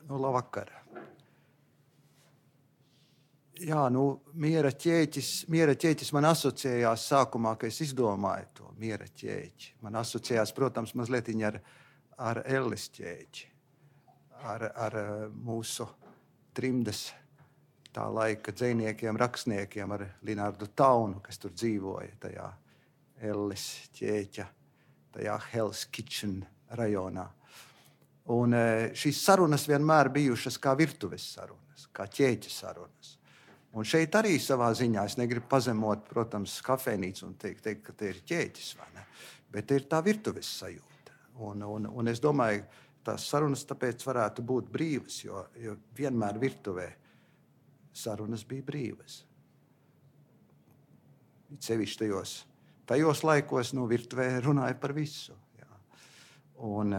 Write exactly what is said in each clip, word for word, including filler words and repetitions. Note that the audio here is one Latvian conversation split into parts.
Nu, labvakar. Jā, nu, miera ķēķis, miera ķēķis man asociējās sākumā, kad es izdomāju to miera ķēķi. Man asociējās, protams, mazliet ar, ar Ellis ķēķi, ar, ar mūsu trimdes tā laika dzejniekiem, rakstniekiem, ar Linārdu Taunu, kas tur dzīvoja tajā Ellis ķēķa, tajā Hell's Kitchen rajonā. Un šīs sarunas vienmēr bijušas kā virtuves sarunas, kā ķēķa sarunas. Un šeit arī savā ziņā es negribu pazemot, protams, kafejnīcu un teikt, teikt, ka te ir ķēķis, vai ne? Bet te ir tā virtuves sajūta. Un, un, un es domāju, tās sarunas tāpēc varētu būt brīvas, jo, jo vienmēr virtuvē sarunas bija brīvas. Sevišķi tajos, tajos laikos, nu, virtuvē runāja par visu. Jā. Un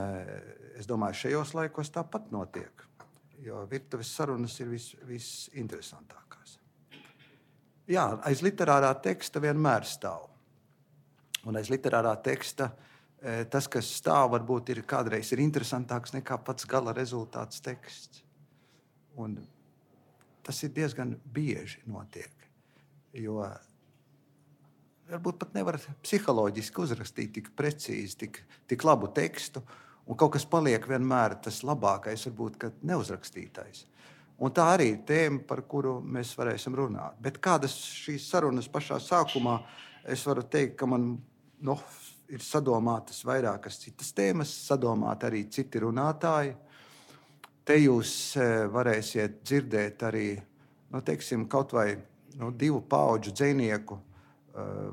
es domāju, šajos laikos tāpat notiek, jo virtuves sarunas ir vis, visinteresantākās. Jā, aiz literārā teksta vienmēr stāv. Un aiz literārā teksta tas, kas stāv, varbūt ir kādreiz ir interesantāks nekā pats gala rezultāts teksts. Un tas ir diezgan bieži notiek, jo varbūt pat nevar psiholoģiski uzrakstīt tik precīzi, tik, tik labu tekstu, un kaut kas paliek vienmēr tas labākais, varbūt, kad neuzrakstītais. Un tā arī ir tēma, par kuru mēs varēsim runāt. Bet kādas šīs sarunas pašā sākumā, es varu teikt, ka man no, ir sadomātas vairākas citas tēmas, sadomāt arī citi runātāji. Te jūs varēsiet dzirdēt arī, nu, teiksim, kaut vai nu, divu paudžu dzejnieku,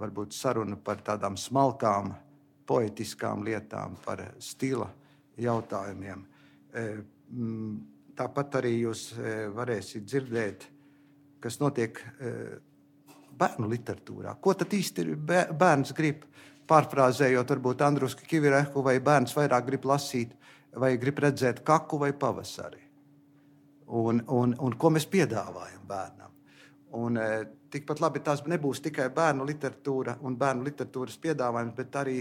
varbūt sarunu par tādām smalkām, poetiskām lietām, par stila jautājumiem. Tāpat arī jūs varēsiet dzirdēt, kas notiek bērnu literatūrā. Ko tad īsti bērns grib, pārfrāzējot varbūt Andrusku Kivirehu, vai bērns vairāk grib lasīt, vai grib redzēt kaku vai pavasari. Un, un, un ko mēs piedāvājam bērnam. Un tikpat labi tās nebūs tikai bērnu literatūra un bērnu literatūras piedāvājums, bet arī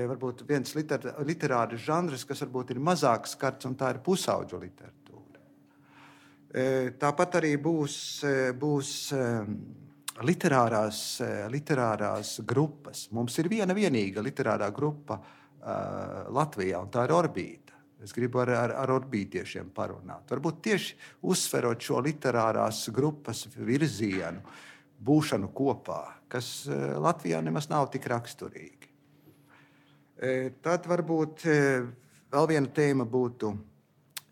varbūt viens liter, literāris žanrs, kas varbūt ir mazāk skarts, un tā ir pusauģu literatūra. Tāpat arī būs, būs literārās, literārās grupas. Mums ir viena vienīga literārā grupa uh, Latvijā, un tā ir Orbīta. Es gribu ar, ar, ar orbītiešiem parunāt. Varbūt tieši uzsverot šo literārās grupas virzienu, būšanu kopā, kas Latvijā nemaz nav tik raksturīgi. Tad varbūt vēl viena tēma būtu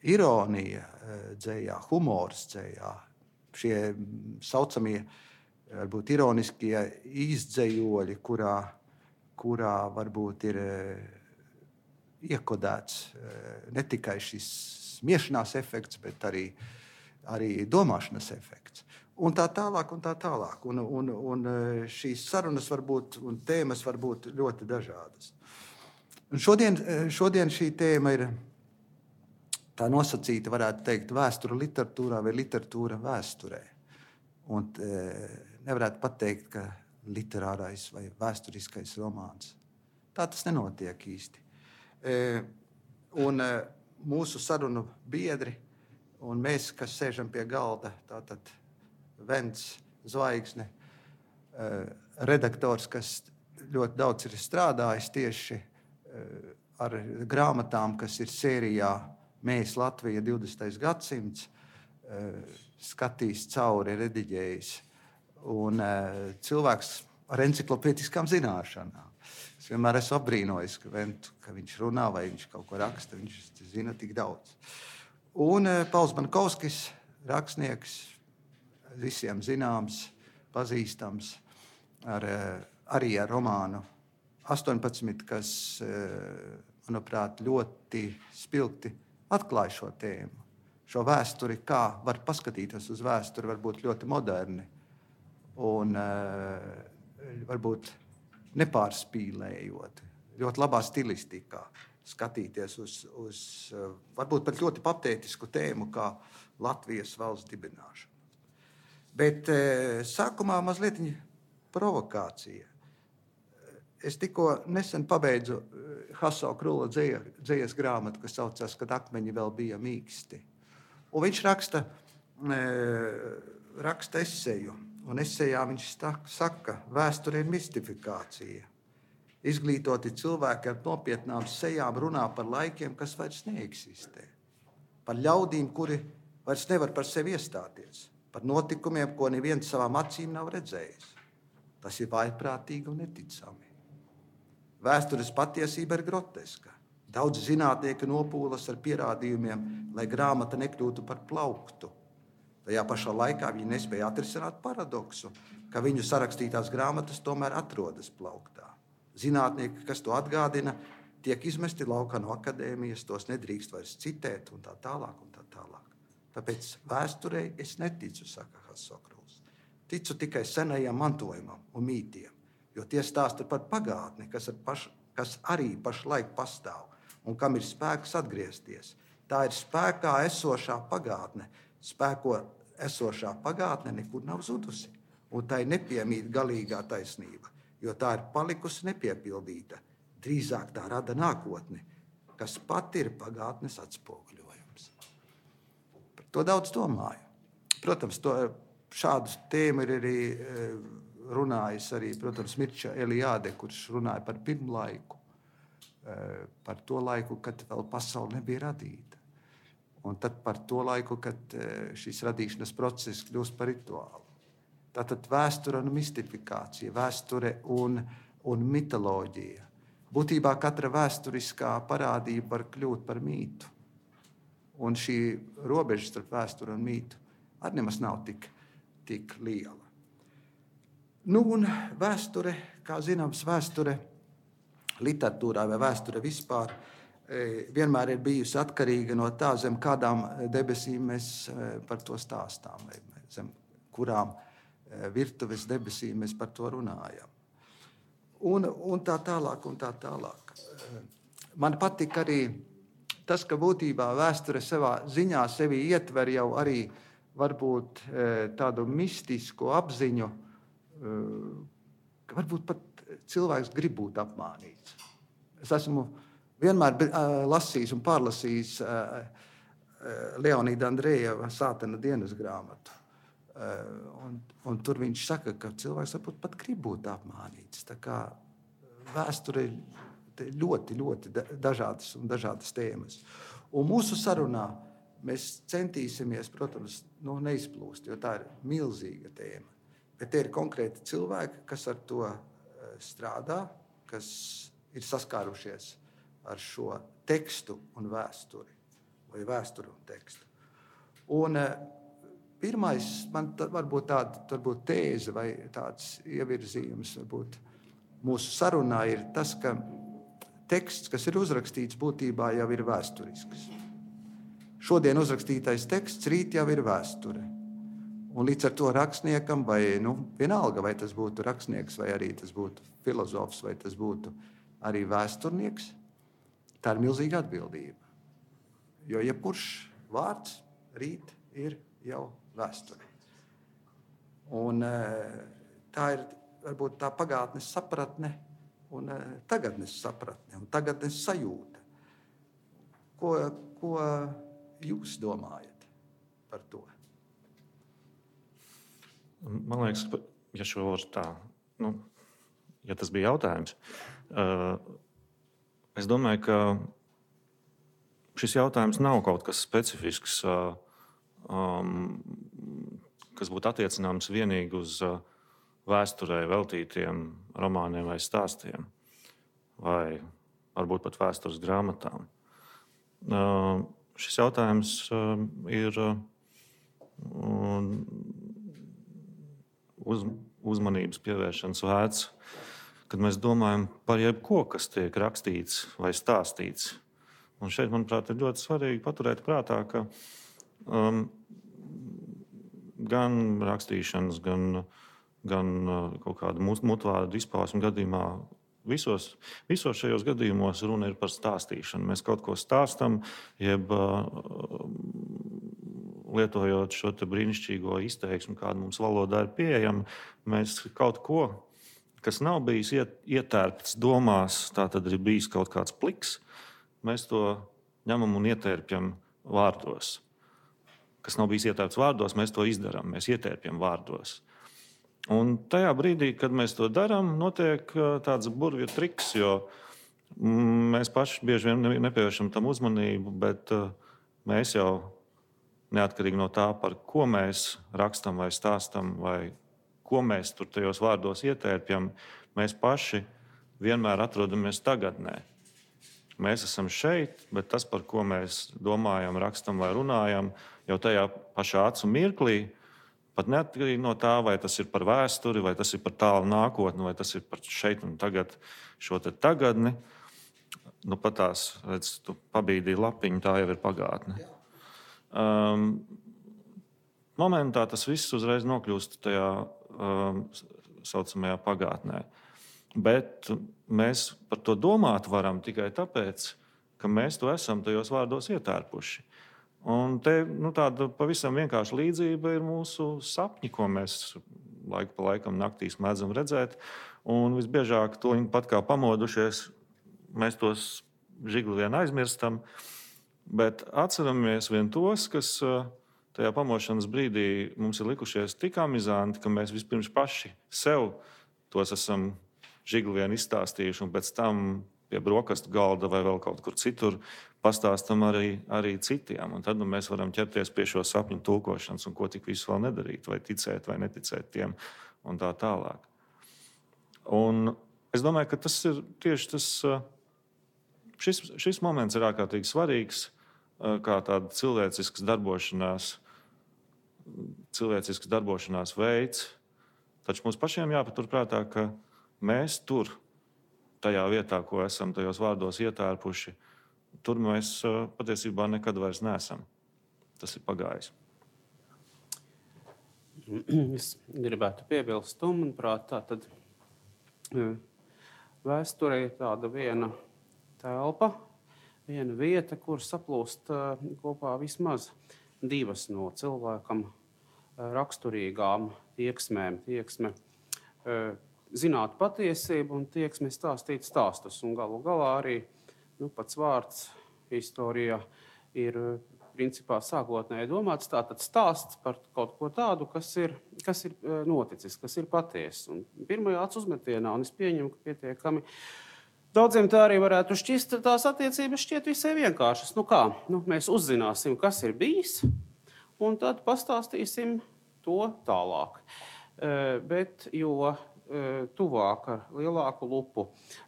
ironija dzejā, humors dzejā. Šie saucamie, varbūt ironiskie izdzējoļi, kurā, kurā varbūt ir iekodēts ne tikai šis smiešanās efekts, bet arī, arī domāšanas efekts. Un tā tālāk, un tā tālāk. Un, un, un šīs sarunas var būt, un tēmas var būt ļoti dažādas. Un šodien, šodien šī tēma ir tā nosacīta, varētu teikt, vēsture literatūrā vai literatūra vēsturē. Un e, nevarētu pateikt, ka literārais vai vēsturiskais romāns. Tā tas nenotiek īsti. E, un e, mūsu sarunu biedri un mēs, kas sēžam pie galda, tātad Vents, Zvaigzne, e, redaktors, kas ļoti daudz ir strādājis tieši e, ar grāmatām, kas ir sērijā Mēs Latvija divdesmitais gadsimts, skatījis cauri, rediģējis, un cilvēks ar enciklopēdiskām zināšanām. Es vienmēr esmu apbrīnojis, ka, Ventu, ka viņš runā vai viņš kaut ko raksta, viņš zina tik daudz. Un Pauls Bankovskis, rakstnieks, visiem zināms, pazīstams, ar, arī ar romānu astoņpadsmit, kas, manuprāt, ļoti spilgti atklāja šo tēmu, šo vēsturi, kā var paskatīties uz vēsturi, varbūt ļoti moderni un varbūt nepārspīlējot, ļoti labā stilistikā skatīties uz, uz varbūt pat ļoti patētisku tēmu, kā Latvijas valsts dibināšana. Bet sākumā mazliet provokācija. Es tikko nesen pabeidzu Haso Krula dzejas grāmatu, kas saucās, kad akmeņi vēl bija mīksti. Un viņš raksta, raksta eseju, un esejā viņš saka, vēsture ir mistifikācija. Izglītoti cilvēki ar nopietnām sejām runā par laikiem, kas vairs neeksistē. Par ļaudīm, kuri vairs nevar par sevi iestāties. Par notikumiem, ko neviens savām acīm nav redzējis. Tas ir vājprātīgi un neticami. Vēstures patiesība ir groteska. Daudz zinātnieki nopūlas ar pierādījumiem, lai grāmata nekļūtu par plauktu. Tajā pašā laikā viņi nespēja atrisināt paradoksu, ka viņu sarakstītās grāmatas tomēr atrodas plauktā. Zinātnieki, kas to atgādina, tiek izmesti laukā no akadēmijas, tos nedrīkst vairs citēt un tā tālāk un tā tālāk. Tāpēc vēsturei es neticu, saka Sokruls. Ticu tikai senajam mantojumam un mītiem, jo tie stāsta par pagātni, kas, paš, kas arī pašlaik pastāv un kam ir spēks atgriezties. Tā ir spēkā esošā pagātne. Spēko esošā pagātne nekur nav zudusi, un tai nepiemīt galīgā taisnība, jo tā ir palikusi nepiepildīta. Drīzāk tā rada nākotni, kas pat ir pagātnes atspoguļojums. Par to daudz domāju. Protams, to, šādu tēmu ir arī runājis arī, protams, Mirča Eliāde, kurš runāja par pirmlaiku, par to laiku, kad vēl pasaule nebija radīta. Un tad par to laiku, kad šīs radīšanas process kļūst par rituālu. Tātad vēsture un mistifikācija, vēsture un, un mitoloģija. Būtībā katra vēsturiskā parādība var kļūt par mītu. Un šī robeža starp vēsturi un mītu arī nemaz nav tik, tik liela. Nu, un vēsture, kā zināms, vēsture literatūrā vai vēsture vispār vienmēr ir bijusi atkarīga no tā, zem kādām debesīm mēs par to stāstām, vai zem kurām virtuves debesīm mēs par to runājam. Un, un tā tālāk, un tā tālāk. Man patīk arī tas, ka būtībā vēsture savā ziņā sevi ietver jau arī varbūt tādu mistisku apziņu, ka varbūt pat cilvēks grib būt apmānīts. Es esmu vienmēr lasījis un pārlasījis Leonīda Andrejeva Sātana dienas grāmatu. Un, un tur viņš saka, ka cilvēks varbūt pat grib būt apmānīts. Tā kā vēsture ir ļoti, ļoti dažādas un dažādas tēmas. Un mūsu sarunā mēs centīsimies, protams, nu, neizplūst, jo tā ir milzīga tēma. Bet tie ir konkrēti cilvēki, kas ar to strādā, kas ir saskārušies ar šo tekstu un vēsturi, vai vēsturi un tekstu. Un pirmais, man varbūt tāda varbūt tēze vai tāds ievirzījums varbūt mūsu sarunā ir tas, ka teksts, kas ir uzrakstīts, būtībā jau ir vēsturisks. Šodien uzrakstītais teksts, rīt jau ir vēsture. Un līdz ar to rakstniekam, vai nu, vienalga, vai tas būtu rakstnieks, vai arī tas būtu filozofs, vai tas būtu arī vēsturnieks, tā ir milzīga atbildība. Jo jebkurš vārds rīt ir jau vēsture. Un tā ir varbūt tā pagātnes sapratne un tagadnes sapratne un tagadnes sajūta. Ko, ko jūs domājat par to? Man liekas, ja šo var tā, nu, ja tas bija jautājums, es domāju, ka šis jautājums nav kaut kas specifisks, Um, kas būtu attiecināms vienīgi uz uh, vēsturē veltītiem romāniem vai stāstiem, vai varbūt pat vēstures grāmatām. Uh, šis jautājums uh, ir uh, uz, uzmanības pievēršanas vērts, kad mēs domājam par jebko, kas tiek rakstīts vai stāstīts. Un šeit, manuprāt, ir ļoti svarīgi paturēt prātā, ka Um, gan rakstīšanas, gan, gan uh, kaut kāda mutvārdu izpausmu gadījumā, visos, visos šajos gadījumos runa ir par stāstīšanu. Mēs kaut ko stāstam, jeb uh, lietojot šo te brīnišķīgo izteiksmu, kāda mums valodā ir pieejama, mēs kaut ko, kas nav bijis iet, ietērpts domās, tā tad ir bijis kaut kāds pliks, mēs to ņemam un ietērpjam vārdos. kas nav bijis ietērpts vārdos, mēs to izdarām, mēs ietērpjam vārdos. Un tajā brīdī, kad mēs to darām, notiek tāds burvju triks, jo mēs paši bieži vien nepievēršam tam uzmanību, bet mēs jau neatkarīgi no tā, par ko mēs rakstam vai stāstam, vai ko mēs tur tajos vārdos ietērpjam, mēs paši vienmēr atrodamies tagadnē. Mēs esam šeit, bet tas, par ko mēs domājam, rakstam vai runājam, jau tajā pašā acu mirklī, pat neatkarīgi no tā, vai tas ir par vēsturi, vai tas ir par tālu nākotni, vai tas ir par šeit un tagad, šo te tagadni. Nu, pat tās, redz, tu pabīdīji lapiņu, tā jau ir pagātne. Um, momentā tas viss uzreiz nokļūst tajā um, saucamajā pagātnē. Bet mēs par to domāt varam tikai tāpēc, ka mēs to esam tajos vārdos ietērpuši. Un te nu, tāda pavisam vienkārša līdzība ir mūsu sapņi, ko mēs laiku pa laikam naktīs mēdzam redzēt. Un visbiežāk to pat kā pamodušies, mēs tos žigli vien aizmirstam, bet atceramies vien tos, kas tajā pamošanas brīdī mums ir likušies tik amizanti, ka mēs vispirms paši sev tos esam žigli vien izstāstījuši, un pēc tam pie brokastu galda vai vēl kaut kur citur pastāstam arī, arī citiem. Un tad nu, mēs varam ķerties pie šo sapņu tulkošanas, un ko tik visu vēl nedarīt, vai ticēt, vai neticēt tiem, un tā tālāk. Un es domāju, ka tas ir tieši tas, šis, šis moments ir ārkārtīgi svarīgs, kā tāda cilvēcisks darbošanās, cilvēcisks darbošanās veids, taču mums pašiem jāpaturprātā, ka mēs tur, tajā vietā, ko esam tajos vārdos ietērpuši, tur mēs patiesībā nekad vairs neesam. Tas ir pagājis. Es gribētu piebilst, un, manuprāt, tā tad vēsturē ir tāda viena telpa, viena vieta, kur saplūst kopā vismaz divas no cilvēkam raksturīgām tieksmēm. Tieksme zināt patiesību un tieksme stāstīt stāstus. Un galu galā arī nu, pats vārds historijā ir principā sākotnēji domāts tātad stāsts par kaut ko tādu, kas ir, kas ir noticis, kas ir patiesa. Un pirmajā acu uzmetienā, un es pieņemu, ka pietiekami daudziem tā arī varētu šķist, tās attiecības šķiet visai vienkāršas. Nu kā, nu, mēs uzzināsim, kas ir bijis, un tad pastāstīsim to tālāk. Uh, bet, jo tuvāk ar lielāku lupu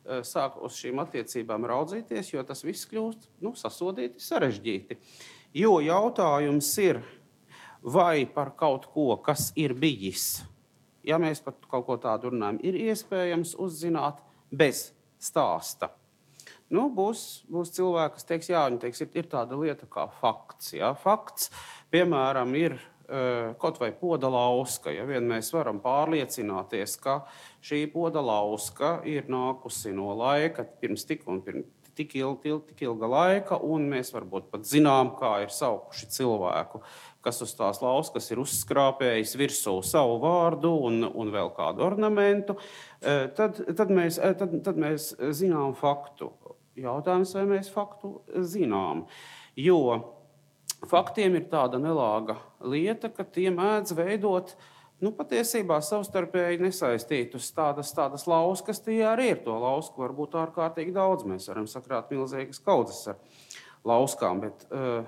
sāk uz šīm attiecībām raudzīties, jo tas viss kļūst nu, sasodīti, sarežģīti. Jo jautājums ir, vai par kaut ko, kas ir bijis, ja mēs par kaut ko tādu runājam, ir iespējams uzzināt bez stāsta. Nu, būs, būs cilvēki, kas teiks, jā, viņi teiks, ir, ir tāda lieta kā fakts. Jā. Fakts, piemēram, ir kaut vai poda lauska, ja vien mēs varam pārliecināties, ka šī poda lauska ir nākusi no laika pirms tik un pirms tik, ilga, tik ilga laika, un mēs varbūt pat zinām, kā ir saukuši cilvēku, kas uz tās lauskas ir uzskrāpējis virsū savu vārdu un, un vēl kādu ornamentu, tad, tad, mēs, tad, tad mēs zinām faktu. Jautājums, vai mēs faktu zinām, jo faktiem ir tāda nelāga lieta, ka tie mēdz veidot nu, patiesībā savstarpēji nesaistītus tādas, tādas lauskas. Tie arī ir to lausku, varbūt ārkārtīgi daudz. Mēs varam sakrāt milzīgas kaudzes ar lauskām, bet uh,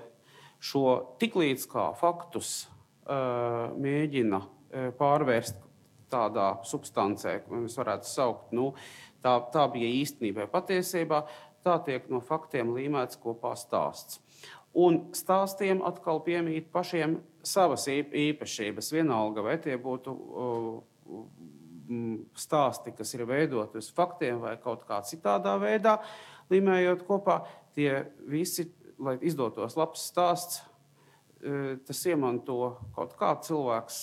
šo tiklīdz kā faktus uh, mēģina uh, pārvērst tādā substancē, ko mēs varētu saukt, nu, tā, tā bija īstenībā patiesībā, tā tiek no faktiem līmēts kopā stāsts. Un stāstiem atkal piemīt pašiem savas īpašības. Vienalga, vai tie būtu uh, stāsti, kas ir veidoti uz faktiem vai kaut kā citādā veidā, līmējot kopā, tie visi, lai izdotos labs stāsts, uh, tas iemanto kaut kā cilvēks,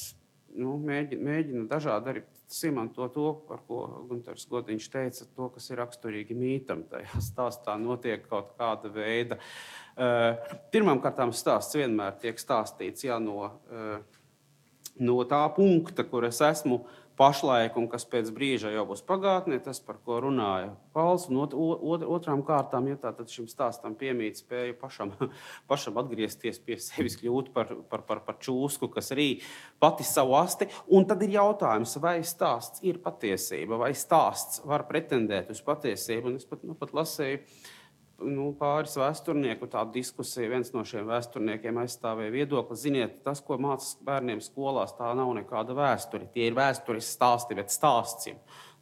nu, mēģina, mēģina dažādi arī iemanto to, par ko Guntars Godiņš teica, to, kas ir raksturīgi mītam. Tajā stāstā notiek kaut kāda veida. Uh, pirmām kārtām stāsts vienmēr tiek stāstīts jā, no, uh, no tā punkta, kur es esmu pašlaik un kas pēc brīža jau būs pagātnē, tas, par ko runāja Pauls. Un ot, ot, otrām kārtām, ja tā tad šim stāstam piemīt spēju pašam, pašam atgriezties pie sevis, kļūt par, par, par, par čūsku, kas rī pati savu asti. Un tad ir jautājums, vai stāsts ir patiesība, vai stāsts var pretendēt uz patiesību. Un es pat, nu, pat lasēju nu, pāris vēsturnieku tādu diskusiju. Viens no šiem vēsturniekiem aizstāvēja viedokli. Ziniet, tas, ko mācās bērniem skolās, tā nav nekāda vēsture. Tie ir vēstures stāsti, bet stāsts ir.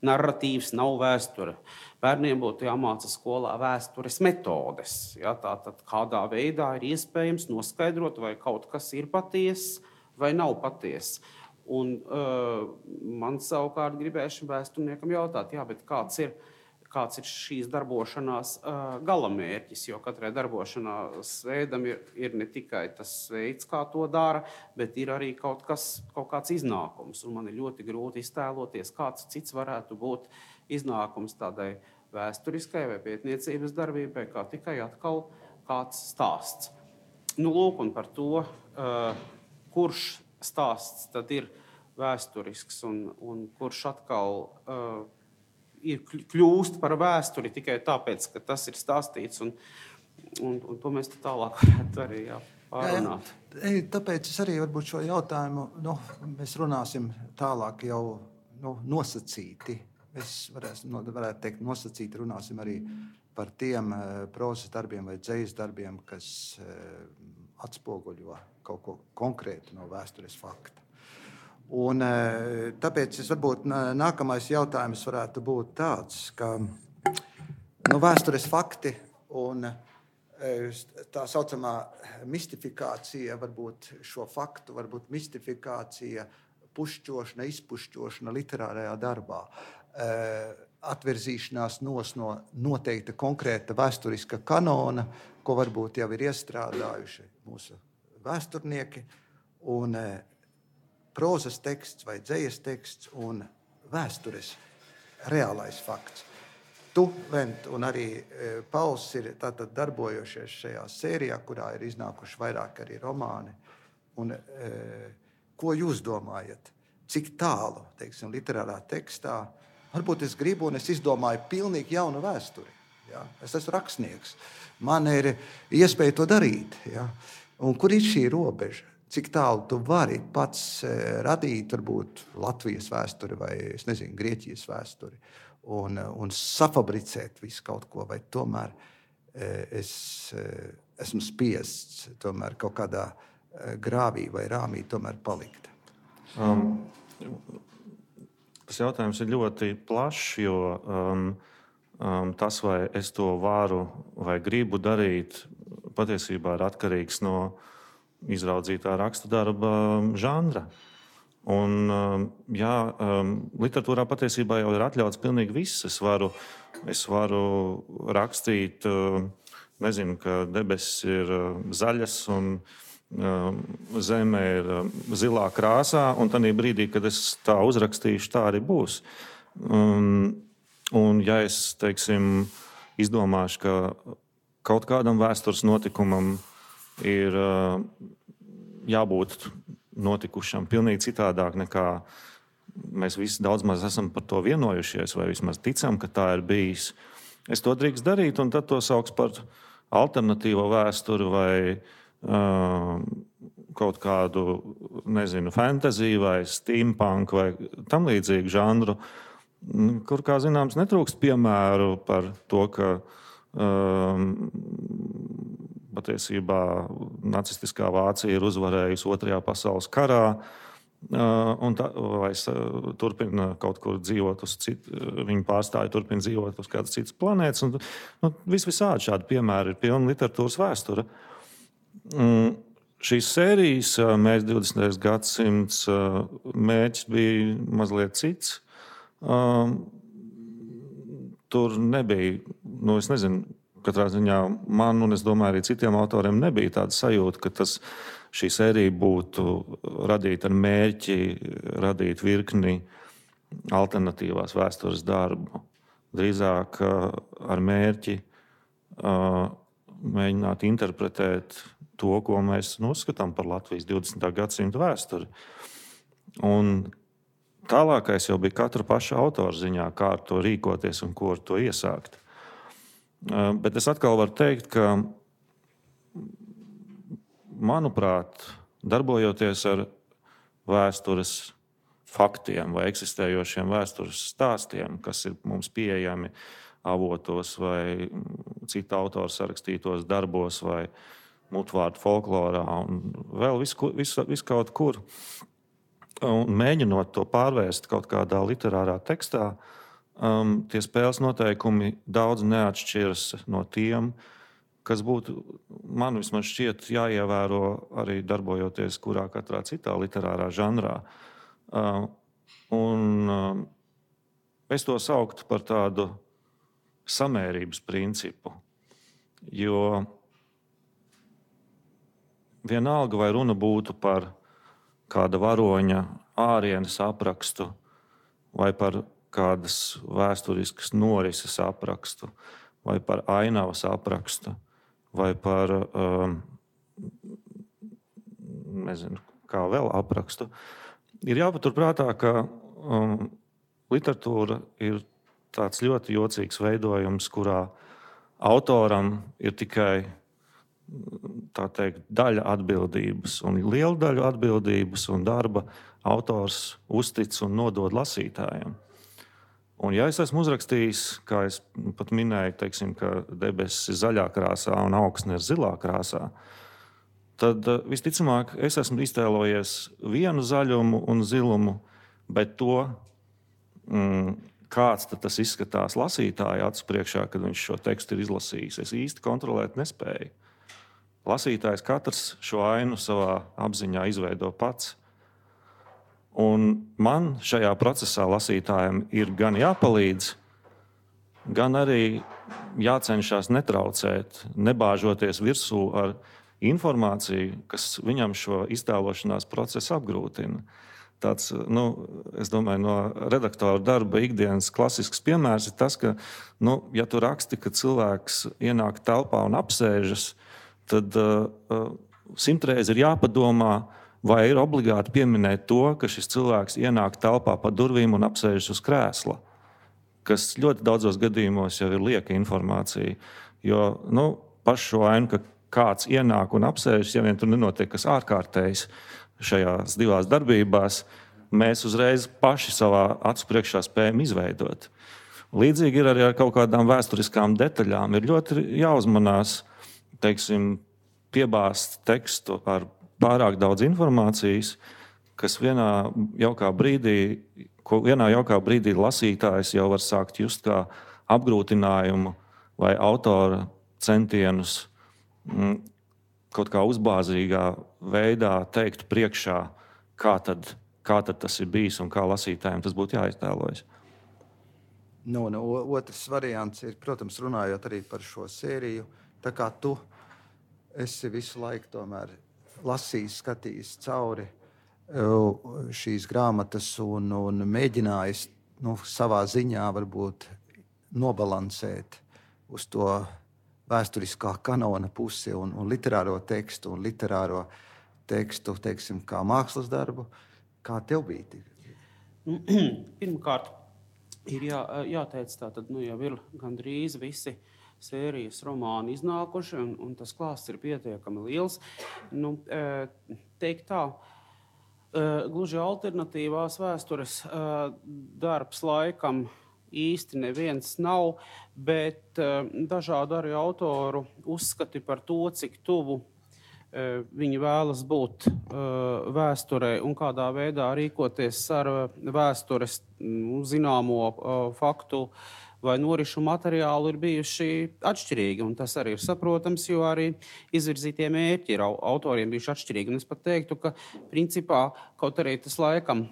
Narratīvs nav vēsture. Bērniem būtu jāmāca skolā vēstures metodes. Ja, tātad kādā veidā ir iespējams noskaidrot, vai kaut kas ir patiess vai nav patiess. Un uh, man savukārt gribēja šim vēsturniekam jautāt, jā, bet kāds ir kāds ir šīs darbošanās uh, galamērķis, jo katrai darbošanās veidam ir, ir ne tikai tas veids, kā to dara, bet ir arī kaut, kas, kaut kāds iznākums. Un man ir ļoti grūti iztēloties, kāds cits varētu būt iznākums tādai vēsturiskai vai pētniecības darbībai, kā tikai atkal kāds stāsts. Nu, lūk, un par to, uh, kurš stāsts tad ir vēsturisks un, un kurš atkal uh, ir kļūst par vēsturi tikai tāpēc, ka tas ir stāstīts, un, un, un to mēs tālāk varētu arī jā, pārunāt. Jā, jā. Tāpēc es arī varbūt šo jautājumu, nu, mēs runāsim tālāk jau nu, nosacīti. Mēs varēsim, varētu teikt nosacīti, runāsim arī par tiem uh, prozas darbiem vai dzejas darbiem, kas uh, atspoguļo kaut ko konkrētu no vēstures fakta. Un, tāpēc es varbūt nākamais jautājums varētu būt tāds, ka nu, vēstures fakti un tā saucamā mistifikācija, varbūt šo faktu, varbūt mistifikācija, pušķošana, izpušķošana literārajā darbā, atverzīšanās nos no noteikta konkrēta vēsturiska kanona, ko varbūt jau ir iestrādājuši mūsu vēsturnieki, un prozas teksts vai dzejas teksts un vēstures reālais fakts. Tu, Vent, un arī Pauls ir tātad darbojošies šajā sērijā, kurā ir iznākuši vairāk arī romāni. Un, e, ko jūs domājat? Cik tālu, teiksim, literārā tekstā? Varbūt es gribu un es izdomāju pilnīgi jaunu vēsturi. Ja? Es esmu rakstnieks. Man ir iespēja to darīt. Ja? Un kur ir šī robeža? Cik tālu tu vari pats radīt, varbūt Latvijas vēsturi vai, es nezinu, Grieķijas vēsturi un, un safabricēt visu kaut ko, vai tomēr es esmu spiests tomēr kaut kādā grāvī vai rāmī tomēr palikt? Um, tas jautājums ir ļoti plašs, jo um, um, tas, vai es to varu vai gribu darīt, patiesībā ir atkarīgs no izraudzītā raksta darba žanra. Un, jā, literatūrā patiesībā jau ir atļauts pilnīgi viss. Es varu, es varu rakstīt, nezinu, ka debesis ir zaļas un zeme ir zilā krāsā, un tādā brīdī, kad es tā uzrakstīšu, tā arī būs. Un, un ja es, teiksim, izdomāšu, ka kaut kādam vēstures notikumam ir jābūt notikušam pilnīgi citādāk nekā mēs visi daudz maz esam par to vienojušies, vai vismaz ticam, ka tā ir bijis. Es to drīkst darīt, un tad to sauks par alternatīvo vēsturi vai uh, kaut kādu, nezinu, fantasiju vai steampunk vai tam līdzīgu žanru, kur, kā zināms, netrūkst piemēru par to, ka um, patiesībā nacistiskā Vācija ir uzvarējusi Otrajā pasaules karā, un tā, vai turpina kaut kur dzīvot uz citu, viņi pārstāja turpina dzīvot uz kādas citas planētas. Un, nu, vis visādi šādi piemēri ir pilna literatūras vēsture. Un šīs sērijas Mērķis divdesmitais gadsimts mērķis bija mazliet cits. Tur nebija, nu es nezinu, katrā ziņā man, un es domāju, arī citiem autoriem nebija tāda sajūta, ka tas, šī sērija būtu radīta ar mērķi, radīt virkni alternatīvās vēstures darbu. Drīzāk ar mērķi uh, mēģināt interpretēt to, ko mēs uzskatām par Latvijas divdesmitā gadsimta vēsturi. Un tālākais jau bija katra paša autora ziņā, kā ar to rīkoties un ko ar to iesākt. Bet es atkal varu teikt, ka, manuprāt, darbojoties ar vēstures faktiem vai eksistējošiem vēstures stāstiem, kas ir mums pieejami avotos vai citu autoru sarakstītos darbos vai mutvārdu folklorā un vēl visu, visu, visu kaut kur. Un mēģinot to pārvērst kaut kādā literārā tekstā, um, tie spēles noteikumi daudz neatšķiras no tiem, kas būtu, man vismaz šķiet, jāievēro arī darbojoties kurā katrā citā literārā žanrā. Uh, un uh, es to sauktu par tādu samērības principu, jo vienalga vai runa būtu par kāda varoņa ārienes aprakstu vai par kādas vēsturiskas norises aprakstu vai par ainavas aprakstu vai par, um, nezinu, kā vēl aprakstu, ir jāpaturprātā, ka um, literatūra ir tāds ļoti jocīgs veidojums, kurā autoram ir tikai tā teikt, daļa atbildības un liela daļa atbildības un darba autors uztic un nodod lasītājiem. Un ja es esmu uzrakstījis, kā es pat minēju, teiksim, ka debesis ir zaļā krāsā un augsne ir zilā krāsā, tad visticamāk es esmu iztēlojies vienu zaļumu un zilumu, bet to, mm, kāds tad tas izskatās lasītāja acu priekšā, kad viņš šo tekstu ir izlasījis, es īsti kontrolēt nespēju. Lasītājs katrs šo ainu savā apziņā izveido pats. Un man šajā procesā lasītājiem ir gan jāpalīdz, gan arī jācenšas netraucēt, nebāžoties virsū ar informāciju, kas viņam šo iztēlošanās procesu apgrūtina. Tāds, nu, es domāju, no redaktora darba ikdienas klasisks piemērs ir tas, ka, nu, ja tu raksti, ka cilvēks ienāk telpā un apsēžas, tad uh, simtreiz ir jāpadomā, vai ir obligāti pieminēt to, ka šis cilvēks ienāk telpā pa durvīm un apsēžas uz krēsla, kas ļoti daudzos gadījumos jau ir lieka informācija. Jo nu, pašu šo ainu, ka kāds ienāk un apsēžas, ja vien tur nenotiek kas ārkārtējs šajās divās darbībās, mēs uzreiz paši savā acu priekšā spējam izveidot. Līdzīgi ir arī ar kaut kādām vēsturiskām detaļām. Ir ļoti jāuzmanās, teiksim, piebāzt tekstu ar pārāk daudz informācijas, kas vienā jaukā brīdī, ko vienā jaukā brīdī lasītājs jau var sākt just kā apgrūtinājumu vai autora centienus mm, kaut kā uzbāzīgā veidā teikt priekšā, kā tad, kā tad tas ir bijis un kā lasītājiem tas būtu jāiztēlojas. Nu, nu, otrs variants ir, protams, runājot arī par šo sēriju, tā kā tu esi visu laiku tomēr lasījis, skatījis cauri šīs grāmatas un, un mēģinājis nu, savā ziņā varbūt nobalansēt uz to vēsturiskā kanona pusi un, un literāro tekstu un literāro tekstu, teiksim, kā mākslas darbu. Kā tev bija? Pirmkārt, ir jā, jāteic tātad, nu jau ir gandrīz visi sērijas romāni iznākuši, un, un tas klāsts ir pietiekami liels. Nu, teikt tā, gluži alternatīvās vēstures darbs laikam īsti neviens nav, bet dažādu arī autoru uzskati par to, cik tuvu viņi vēlas būt vēsturē un kādā veidā rīkoties ar vēstures zināmo faktu vai norišu materiālu ir bijuši atšķirīgi. Un tas arī ir saprotams, jo arī izvirzītie mērķi ir autoriem bijuši atšķirīgi. Un es pat teiktu, ka principā kaut arī tas laikam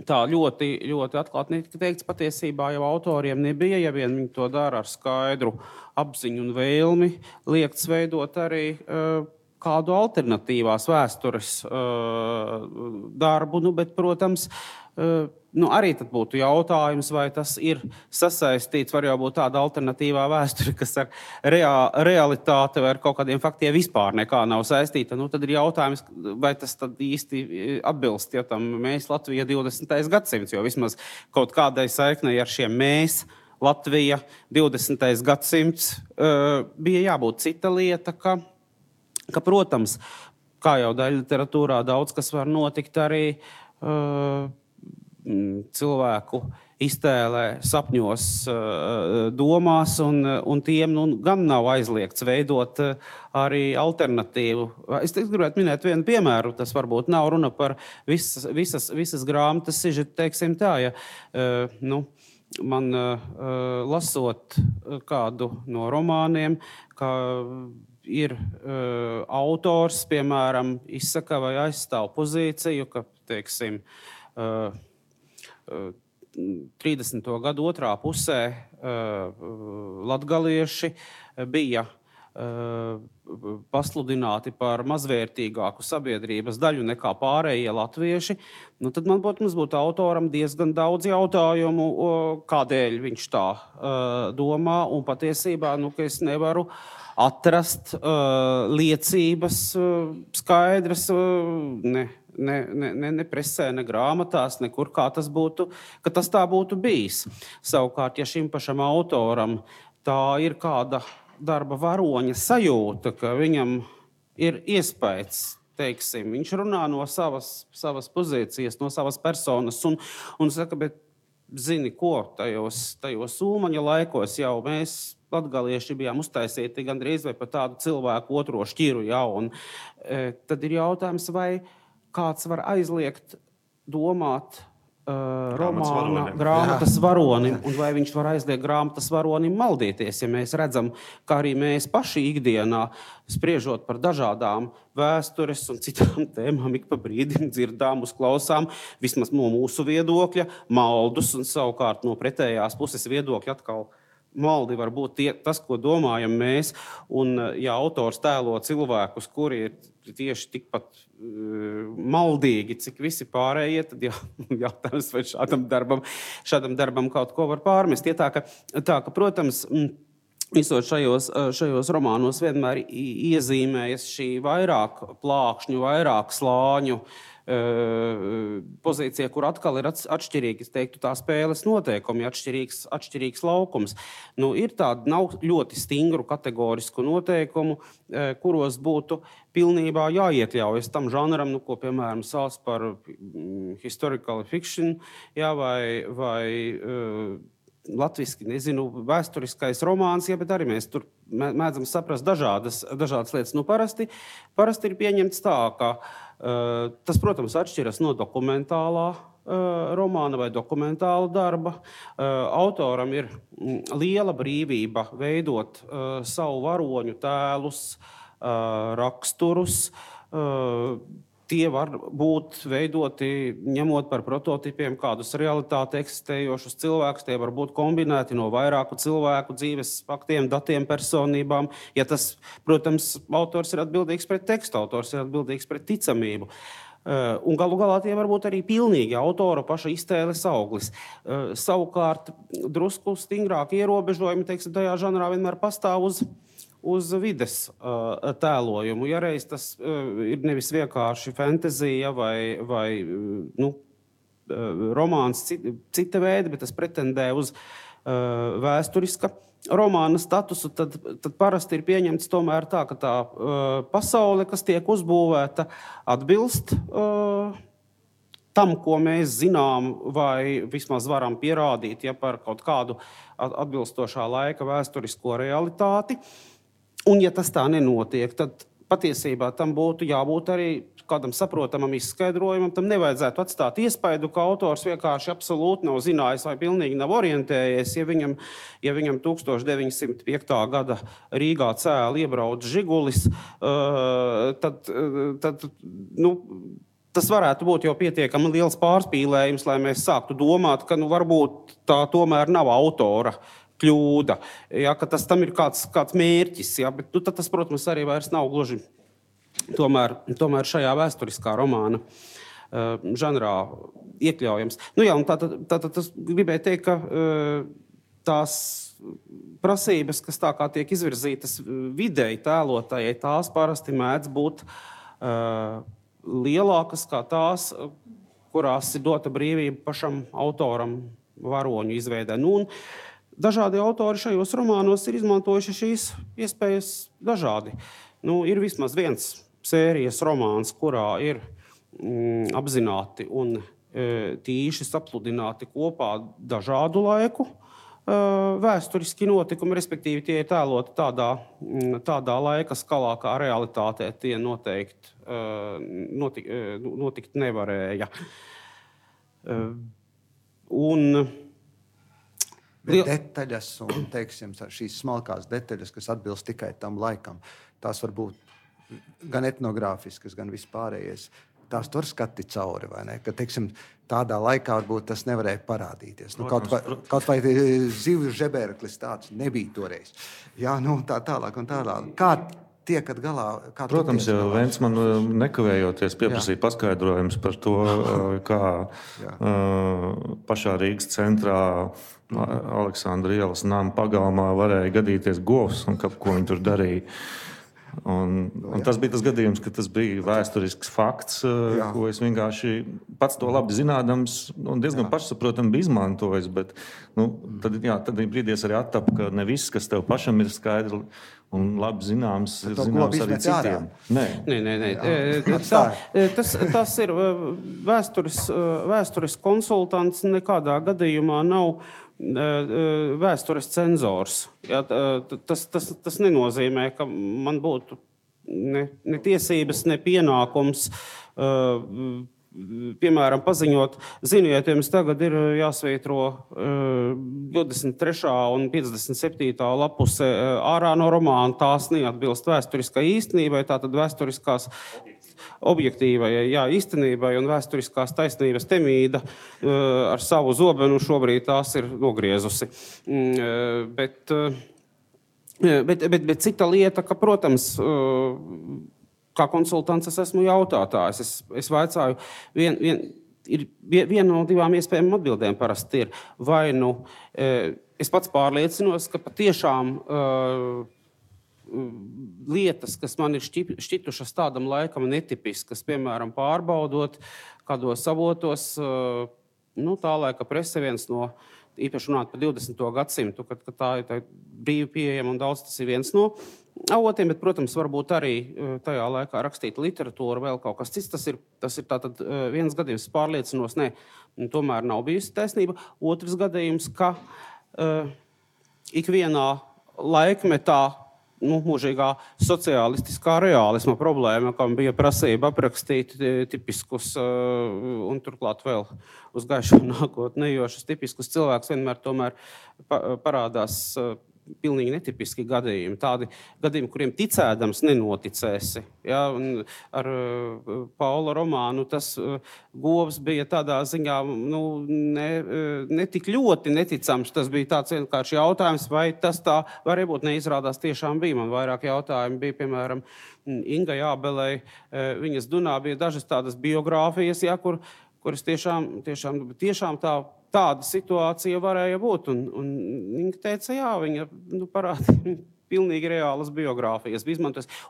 tā ļoti, ļoti atklāti netika teikts, patiesībā jau autoriem nebija, ja vien viņi to dara ar skaidru apziņu un vēlmi, liekts veidot arī uh, kādu alternatīvās vēstures uh, darbu, nu, bet, protams, uh, nu, arī tad būtu jautājums, vai tas ir sasaistīts, var jau būt tāda alternatīvā vēsture, kas ar rea, realitāti vai ar kaut kādiem faktiem vispār nekā nav saistīta. Nu, tad ir jautājums, vai tas tad īsti atbilst, ja tam mēs Latvija divdesmitais gadsimts, jo vismaz kaut kādai saiknei ar šiem mēs Latvija divdesmitais gadsimts uh, bija jābūt cita lieta, ka, ka, protams, kā jau daļa literatūrā daudz kas var notikt arī uh, cilvēku iztēlē, sapņos, domās, un, un tiem nu, gan nav aizliegts veidot arī alternatīvu. Es gribētu minēt vienu piemēru, tas varbūt nav runa par visas, visas, visas grāmatas sižetu, teiksim tā, ja nu, man lasot kādu no romāniem, ka ir autors, piemēram, izsaka vai aizstāv pozīciju, ka, teiksim, trīsdesmito gadu otrā pusē latgalieši bija pasludināti par mazvērtīgāku sabiedrības daļu nekā pārējie latvieši, nu tad man, protams, būtu autoram diezgan daudz jautājumu, kādēļ viņš tā domā, un patiesībā, nu, ka es nevaru atrast liecības skaidras, ne. Ne, ne, ne, ne presē, ne grāmatās, nekur, kā tas būtu, ka tas tā būtu bijis. Savukārt, ja šim pašam autoram tā ir kāda darba varoņa sajūta, ka viņam ir iespējas, teiksim, viņš runā no savas, savas pozīcijas, no savas personas, un, un saka, bet zini ko, tajos, tajos Ulmaņa laikos jau mēs latgalieši bijām uztaisīti gandrīz vai par tādu cilvēku otro šķiru, ja, un e, tad ir jautājums, vai kāds var aizliegt domāt uh, romāna grāmatas varonim, un vai viņš var aizliegt grāmatas varonim maldīties, ja mēs redzam, ka arī mēs paši ikdienā, spriežot par dažādām vēstures un citām tēmām, ik pa brīdim dzirdām, uzklausām, vismaz no mūsu viedokļa, maldus, un savukārt no pretējās puses viedokļa atkal maldi var būt tie, tas, ko domājam mēs, un ja autors tēlo cilvēkus, kuri ir tieši tikpat uh, maldīgi, cik visi pārējie, tad jā, jautājums, vai šādam darbam, šādam darbam kaut ko var pārmest. Ja tā, ka, tā, ka, protams, visot šajos, šajos romānos vienmēr iezīmējas šī vairāk plākšņu, vairāk slāņu pozīcija, kur atkal ir atšķirīgi, es teiktu, tā spēles noteikumi, atšķirīgs, atšķirīgs laukums. Nu, ir tādi nav ļoti stingru kategorisku noteikumu, kuros būtu pilnībā jāiekļaujas tam žanram, nu, ko, piemēram, sauc par historical fiction, jā, vai, vai uh, latviski, nezinu, vēsturiskais romāns, jā, bet arī mēs tur mēdzam saprast dažādas, dažādas lietas. Nu, parasti, parasti ir pieņemts tā, ka uh, tas, protams, atšķiras no dokumentālā uh, romāna vai dokumentāla darba. Uh, autoram ir mm, liela brīvība veidot uh, savu varoņu tēlus, uh, raksturus. Uh, Tie var būt veidoti, ņemot par prototipiem kādus realitāti eksistējošus cilvēkus, tie var būt kombinēti no vairāku cilvēku dzīves faktiem, datiem, personībām. Ja tas, protams, autors ir atbildīgs pret tekstu, autors ir atbildīgs pret ticamību. Un galu galā tie var būt arī pilnīgi autora paša iztēles auglis. Savukārt, drusku stingrāk ierobežojumi, teiksim, tajā žanrā vienmēr pastāv uz uz vides uh, tēlojumu. Ja reiz tas uh, ir nevis vienkārši fantazija vai, vai nu, uh, romāns cita, cita veida, bet tas pretendē uz uh, vēsturiska romāna statusu, tad, tad parasti ir pieņemts tomēr tā, ka tā uh, pasaule, kas tiek uzbūvēta, atbilst uh, tam, ko mēs zinām vai vismaz varam pierādīt, ja par kaut kādu atbilstošā laika vēsturisko realitāti. Un, ja tas tā nenotiek, tad patiesībā tam būtu jābūt arī kādam saprotamam izskaidrojumam. Tam nevajadzētu atstāt iespaidu, ka autors vienkārši absolūti nav zinājis vai pilnīgi nav orientējies. Ja viņam, ja viņam tukstovš deviņsimt piekta gada Rīgā cēli iebrauc Žigulis, uh, tad, tad nu, tas varētu būt jau pietiekami liels pārspīlējums, lai mēs sāktu domāt, ka nu, varbūt tā tomēr nav autora kļūda, ja, ka tas tam ir kāds, kāds mērķis, ja, bet nu, tas, protams, arī vairs nav gluži tomēr, tomēr šajā vēsturiskā romāna žanrā iekļaujams. Nu jā, un tātad tā, tā, tas gribēju teikt, ka uh, tās prasības, kas tā kā tiek izvirzītas vidēji tēlotājai, tās parasti mēdz būt uh, lielākas kā tās, kurās ir dota brīvība pašam autoram varoņu izveidē. Nu, un dažādi autori šajos romānos ir izmantojuši šīs iespējas dažādi. Nu, ir vismaz viens sērijas romāns, kurā ir mm, apzināti un e, tīši sapludināti kopā dažādu laiku e, vēsturiski notikumi, respektīvi tie ir tēloti tādā, tādā laika skalā, kā realitātē tie noteikti e, notik, e, notikt nevarēja. E, un Bet detaļas un, teiksim, šīs smalkās detaļas, kas atbilst tikai tam laikam, tās var būt gan etnogrāfiskas, gan vispārējais. Tās tur skati cauri, vai ne? Ka, teiksim, tādā laikā varbūt tas nevarēja parādīties. Nu, kaut vai, kaut vai zivju žebēreklis tāds nebija toreiz. Jā, nu, tā tālāk un tālāk. Kā tiekat galā? Kā Protams, jau Vents man nekavējoties pieprasīja paskaidrojums par to, kā uh, pašā Rīgas centrā Aleksandra ielas nama pagalmā varēja gadīties govs un ka, ko viņi tur darīja. Un, un tas bija tas gadījums, ka tas bija vēsturisks fakts, jā. Ko es vienkārši pats to labi zinādams un diezgan jā. pašsaprotami bija izmantojis. Bet, nu, tad, jā, tad brīdies arī attap, ka ne viss, kas tev pašam ir skaidrs un labi zināms, ir zināms arī citiem. Nē, nē, nē. nē. Tā, tas, tas ir vēsturis, vēsturis konsultants nekādā gadījumā nav vēstures cenzors. Jā, tas, tas, tas nenozīmē, ka man būtu ne, ne tiesības, ne pienākums, uh, piemēram, paziņot, ziniet, jums tagad ir jāsvītro uh, divdesmit trešā un piecdesmit septītā lapuse ārā no romāna, tās neatbilst vēsturiskai īstenībai, tātad vēsturiskās objektīvai, jā, īstenībai un vēsturiskās taisnības temīda uh, ar savu zobenu šobrīd tās ir nogriezusi. Uh, bet, uh, bet, bet, bet cita lieta, ka, protams, uh, kā konsultants es esmu jautātājs. Es, es vaicāju, vien, vien, ir viena no divām iespējām atbildēm parasti ir. Vai nu uh, es pats pārliecinos, ka patiešām uh, lietas, kas man ir šķitušas tādam laikam netipiskas, piemēram, pārbaudot kādos avotos, nu, tā laika prese viens no, īpaši runāt par divdesmito gadsimtu, kad, kad tā ir tā brīvi pieejama un daudz tas ir viens no avotiem, bet, protams, varbūt arī tajā laikā rakstīta literatūra, vēl kaut kas cits. Tas ir, tas ir tātad viens gadījums, pārliecinos, ne, tomēr nav bijusi taisnība. Otrs gadījums, ka uh, ikvienā laikmetā nu, mūžīgā sociālistiskā reālisma problēma, kam bija prasība aprakstīt tipiskus uh, un turklāt vēl uz gaišu nākotni ejošus tipiskus cilvēkus, vienmēr tomēr pa, parādās uh, pilnīgi netipiski gadījumi. Tādi gadījumi, kuriem ticēdams nenoticēsi. Ja? Un ar uh, Paula romānu tas uh, govs bija tādā ziņā nu, ne, uh, ne tik ļoti neticams. Tas bija tāds vienkārši jautājums, vai tas tā varēja būt neizrādās tiešām bija. Man vairāk jautājumi bija, piemēram, Ingai Ābelei, uh, viņas dunā bija dažas tādas biogrāfijas, ja, kur, kuras tiešām, tiešām, tiešām tā Tāda situācija varēja būt, un, un viņa teica, jā, viņa nu, parādīja pilnīgi reālas biogrāfijas.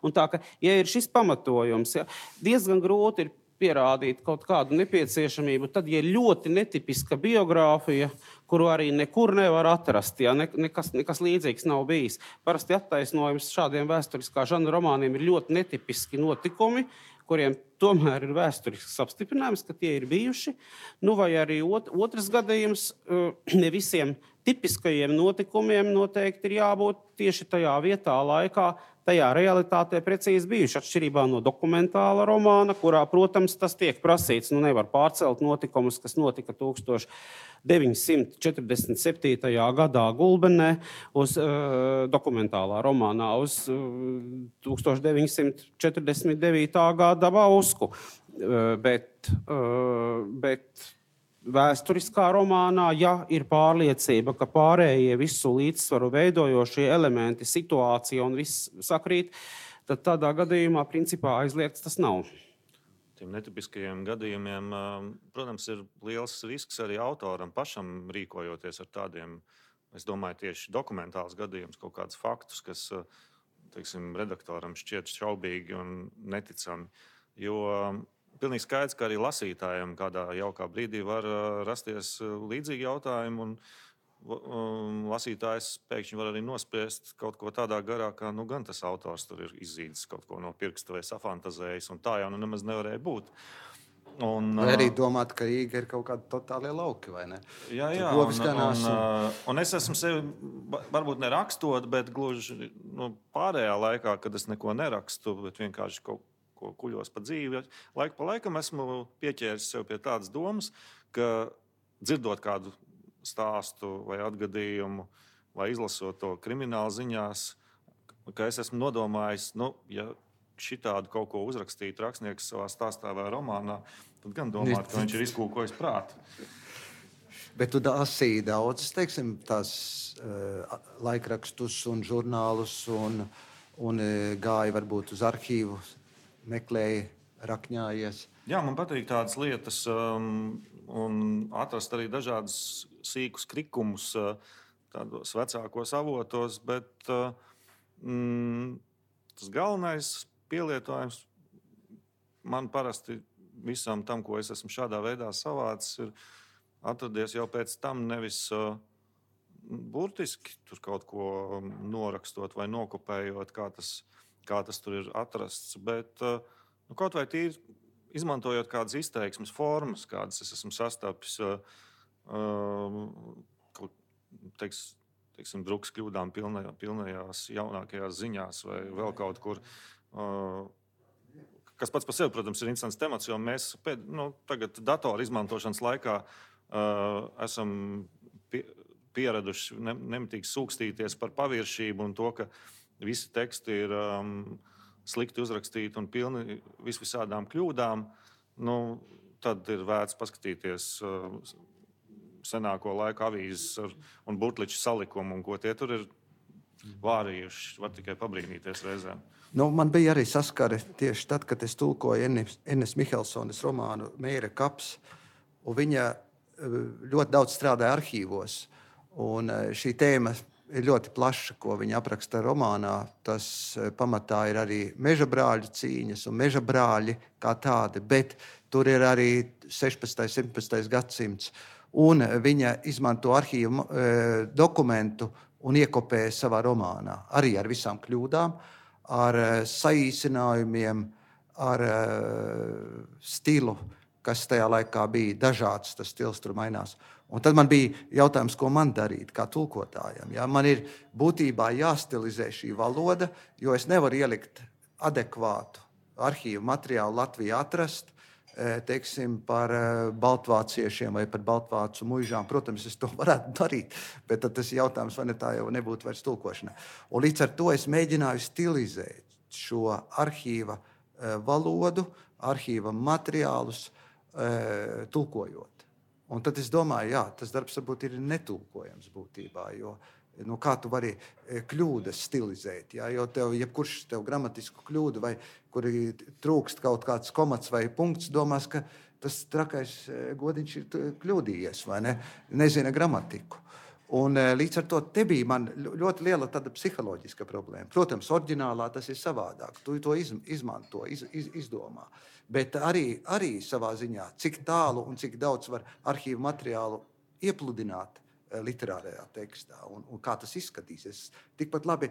Un tā, ka, ja ir šis pamatojums, ja, diezgan grūti ir pierādīt kaut kādu nepieciešamību, tad, ja ir ļoti netipiska biogrāfija, kuru arī nekur nevar atrast, ja, ne, nekas, nekas līdzīgs nav bijis. Parasti attaisnojums šādiem vēsturiskā žanra romāniem ir ļoti netipiski notikumi, kuriem tomēr ir vēsturisks apstiprinājums, ka tie ir bijuši. Nu, vai arī ot, otrs gadījums, ne visiem tipiskajiem notikumiem noteikti ir jābūt tieši tajā vietā, laikā, tajā realitātē precīzi bijuši, atšķirībā no dokumentāla romāna, kurā, protams, tas tiek prasīts. Nu, nevar pārcelt notikumus, kas notika tūkstoš deviņsimt četrdesmit septītajā gadā Gulbenē uz uh, dokumentālā romānā uz uh, tūkstoš deviņsimt četrdesmit devītā gada Bausku. Uh, bet, uh, bet vēsturiskā romānā, ja ir pārliecība, ka pārējie visu līdzsvaru veidojošie elementi, situācija un viss sakrīt, tad tādā gadījumā principā aizliegts tas nav. tiem netipiskajiem gadījumiem, protams, ir liels risks arī autoram pašam rīkojoties ar tādiem, es domāju, tieši dokumentāls gadījums, kaut kādus faktus, kas, teiksim, redaktoram šķiet šaubīgi un neticami. Jo pilnīgi skaidrs, ka arī lasītājiem kādā jaukā brīdī var rasties līdzīgi jautājumi, un lasītājs pēkšņi var arī nospriest kaut ko tādā garā, ka nu, gan tas autors tur ir izzīdis kaut ko no pirksta vai safantazējis, un tā jau nu nemaz nevarēja būt. Un, vai arī domāt, ka Rīga ir kaut kādi totālie lauki, vai ne? Jā, jā, un, un, un, un es esmu sevi, varbūt nerakstot, bet gluži nu, pārējā laikā, kad es neko nerakstu, bet vienkārši kaut ko kuļos pa dzīvi, laiku pa laikam esmu pieķēris sev pie tādas domas, ka dzirdot kādu stāstu vai atgadījumu, vai izlasot to krimināla ziņās, ka es esmu nodomājis, nu, ja šitādu kaut ko uzrakstītu rakstnieks savā stāstā vai romānā, tad gan domāt, ka viņš ir izkūkojis prātu. Bet tu lasīji daudzas, teiksim, tās uh, laikrakstus un žurnālus un, un uh, gāja varbūt uz arhīvu, meklēja, rakņājies. Jā, man patīk tādas lietas um, un atrast arī dažādas sīkus krikumus tādos vecākos avotos, bet mm, tas galvenais pielietojums man parasti visam tam, ko es esmu šādā veidā savācis, ir atradies jau pēc tam nevis uh, burtiski tur kaut ko norakstot vai nokopējot, kā tas, kā tas tur ir atrasts, bet uh, nu, kaut vai tīri izmantojot kādas izteiksmes formas, kādas es esmu sastapis, uh, uh, teiks, teiksim, drukas kļūdām pilnajā, pilnajās jaunākajās ziņās vai vēl kaut kur. Uh, kas pats par sevi, protams, ir interesants temats, jo mēs pēd, nu, tagad datoru izmantošanas laikā uh, esam pie, pieraduši ne, nemitīgi sūkstīties par paviršību un to, ka visi teksti ir um, slikti uzrakstīti un pilni visvisādām kļūdām. Nu, tad ir vērts paskatīties uh, senāko laiku avīzes ar, un burtliču salikumu, un ko tie tur ir vārījuši. Var tikai pabrīnīties reizēm. Nu, man bija arī saskare tieši tad, kad es tulkoju Ennes Mihelsones romānu Mēra kaps, un viņa ļoti daudz strādāja arhīvos. Un šī tēma ir ļoti plaša, ko viņa apraksta romānā. Tas pamatā ir arī meža brāļu cīņas un meža brāļi kā tādi, bet tur ir arī sešpadsmitais, septiņpadsmitais gadsimts. Un viņa izmanto arhīvu e, dokumentu un iekopē savā romānā. Arī ar visām kļūdām, ar e, saīsinājumiem, ar e, stilu, kas tajā laikā bija dažāds, tas stils tur mainās. Un tad man bija jautājums, ko man darīt kā tulkotājam. Ja? Man ir būtībā jāstilizē šī valoda, jo es nevaru ielikt adekvātu arhīvu materiālu Latvijā atrast, teiksim, par baltvāciešiem vai par baltvācu muižām. Protams, es to varētu darīt, bet tad tas jautājums, vai ne tā jau nebūtu vairs tulkošana. Un līdz ar to es mēģināju stilizēt šo arhīva valodu, arhīva materiālus tulkojot. Un tad es domāju, jā, tas darbs varbūt ir netulkojams būtībā, jo nu, kā tu vari kļūdas stilizēt, jā, jo tev, jebkurš tev gramatisku kļūdu vai kuri trūkst kaut kāds komats vai punkts, domās, ka tas trakais godiņš ir kļūdījies vai ne, nezina gramatiku. Un līdz ar to te bija man ļoti liela tāda psiholoģiska problēma. Protams, oriģinālā tas ir savādāk, tu to iz, izmanto, iz, iz, izdomā. Bet arī, arī savā ziņā, cik tālu un cik daudz var arhīvu materiālu iepludināt literārajā tekstā un, un kā tas izskatīsies. Tikpat labi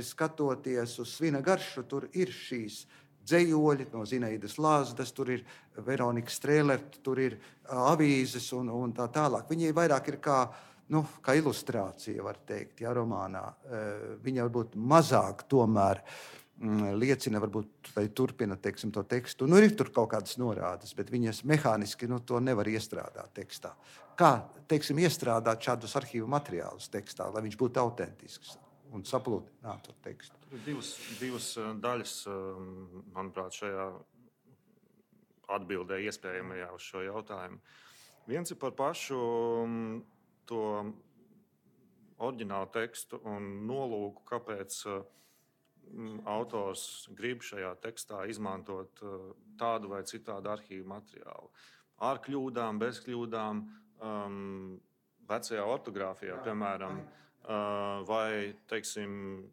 skatoties uz Svina garšu, tur ir šīs dzejoļi no Zineidas Lāzdas, tur ir Veronika Strēlert, tur ir avīzes un, un tā tālāk. Viņi vairāk ir kā, nu, kā ilustrācija, var teikt, ja, romānā. Viņa varbūt mazāk tomēr liecina, varbūt, vai turpina, teiksim, to tekstu. Nu, ir tur kaut kādas norādes, bet viņas mehāniski nu, to nevar iestrādāt tekstā. Kā, teiksim, iestrādāt šādus arhīvu materiālus tekstā, lai viņš būtu autentisks un sapludinātu tekstu? Divas, divas daļas, manuprāt, šajā atbildē iespējamajā uz šo jautājumu. Viens ir par pašu to oriģinālu tekstu un nolūku, kāpēc autors grib šajā tekstā izmantot tādu vai citādu arhīvu materiālu. Ar kļūdām, bez kļūdām, um, vecajā ortogrāfijā, piemēram, uh, vai, teiksim,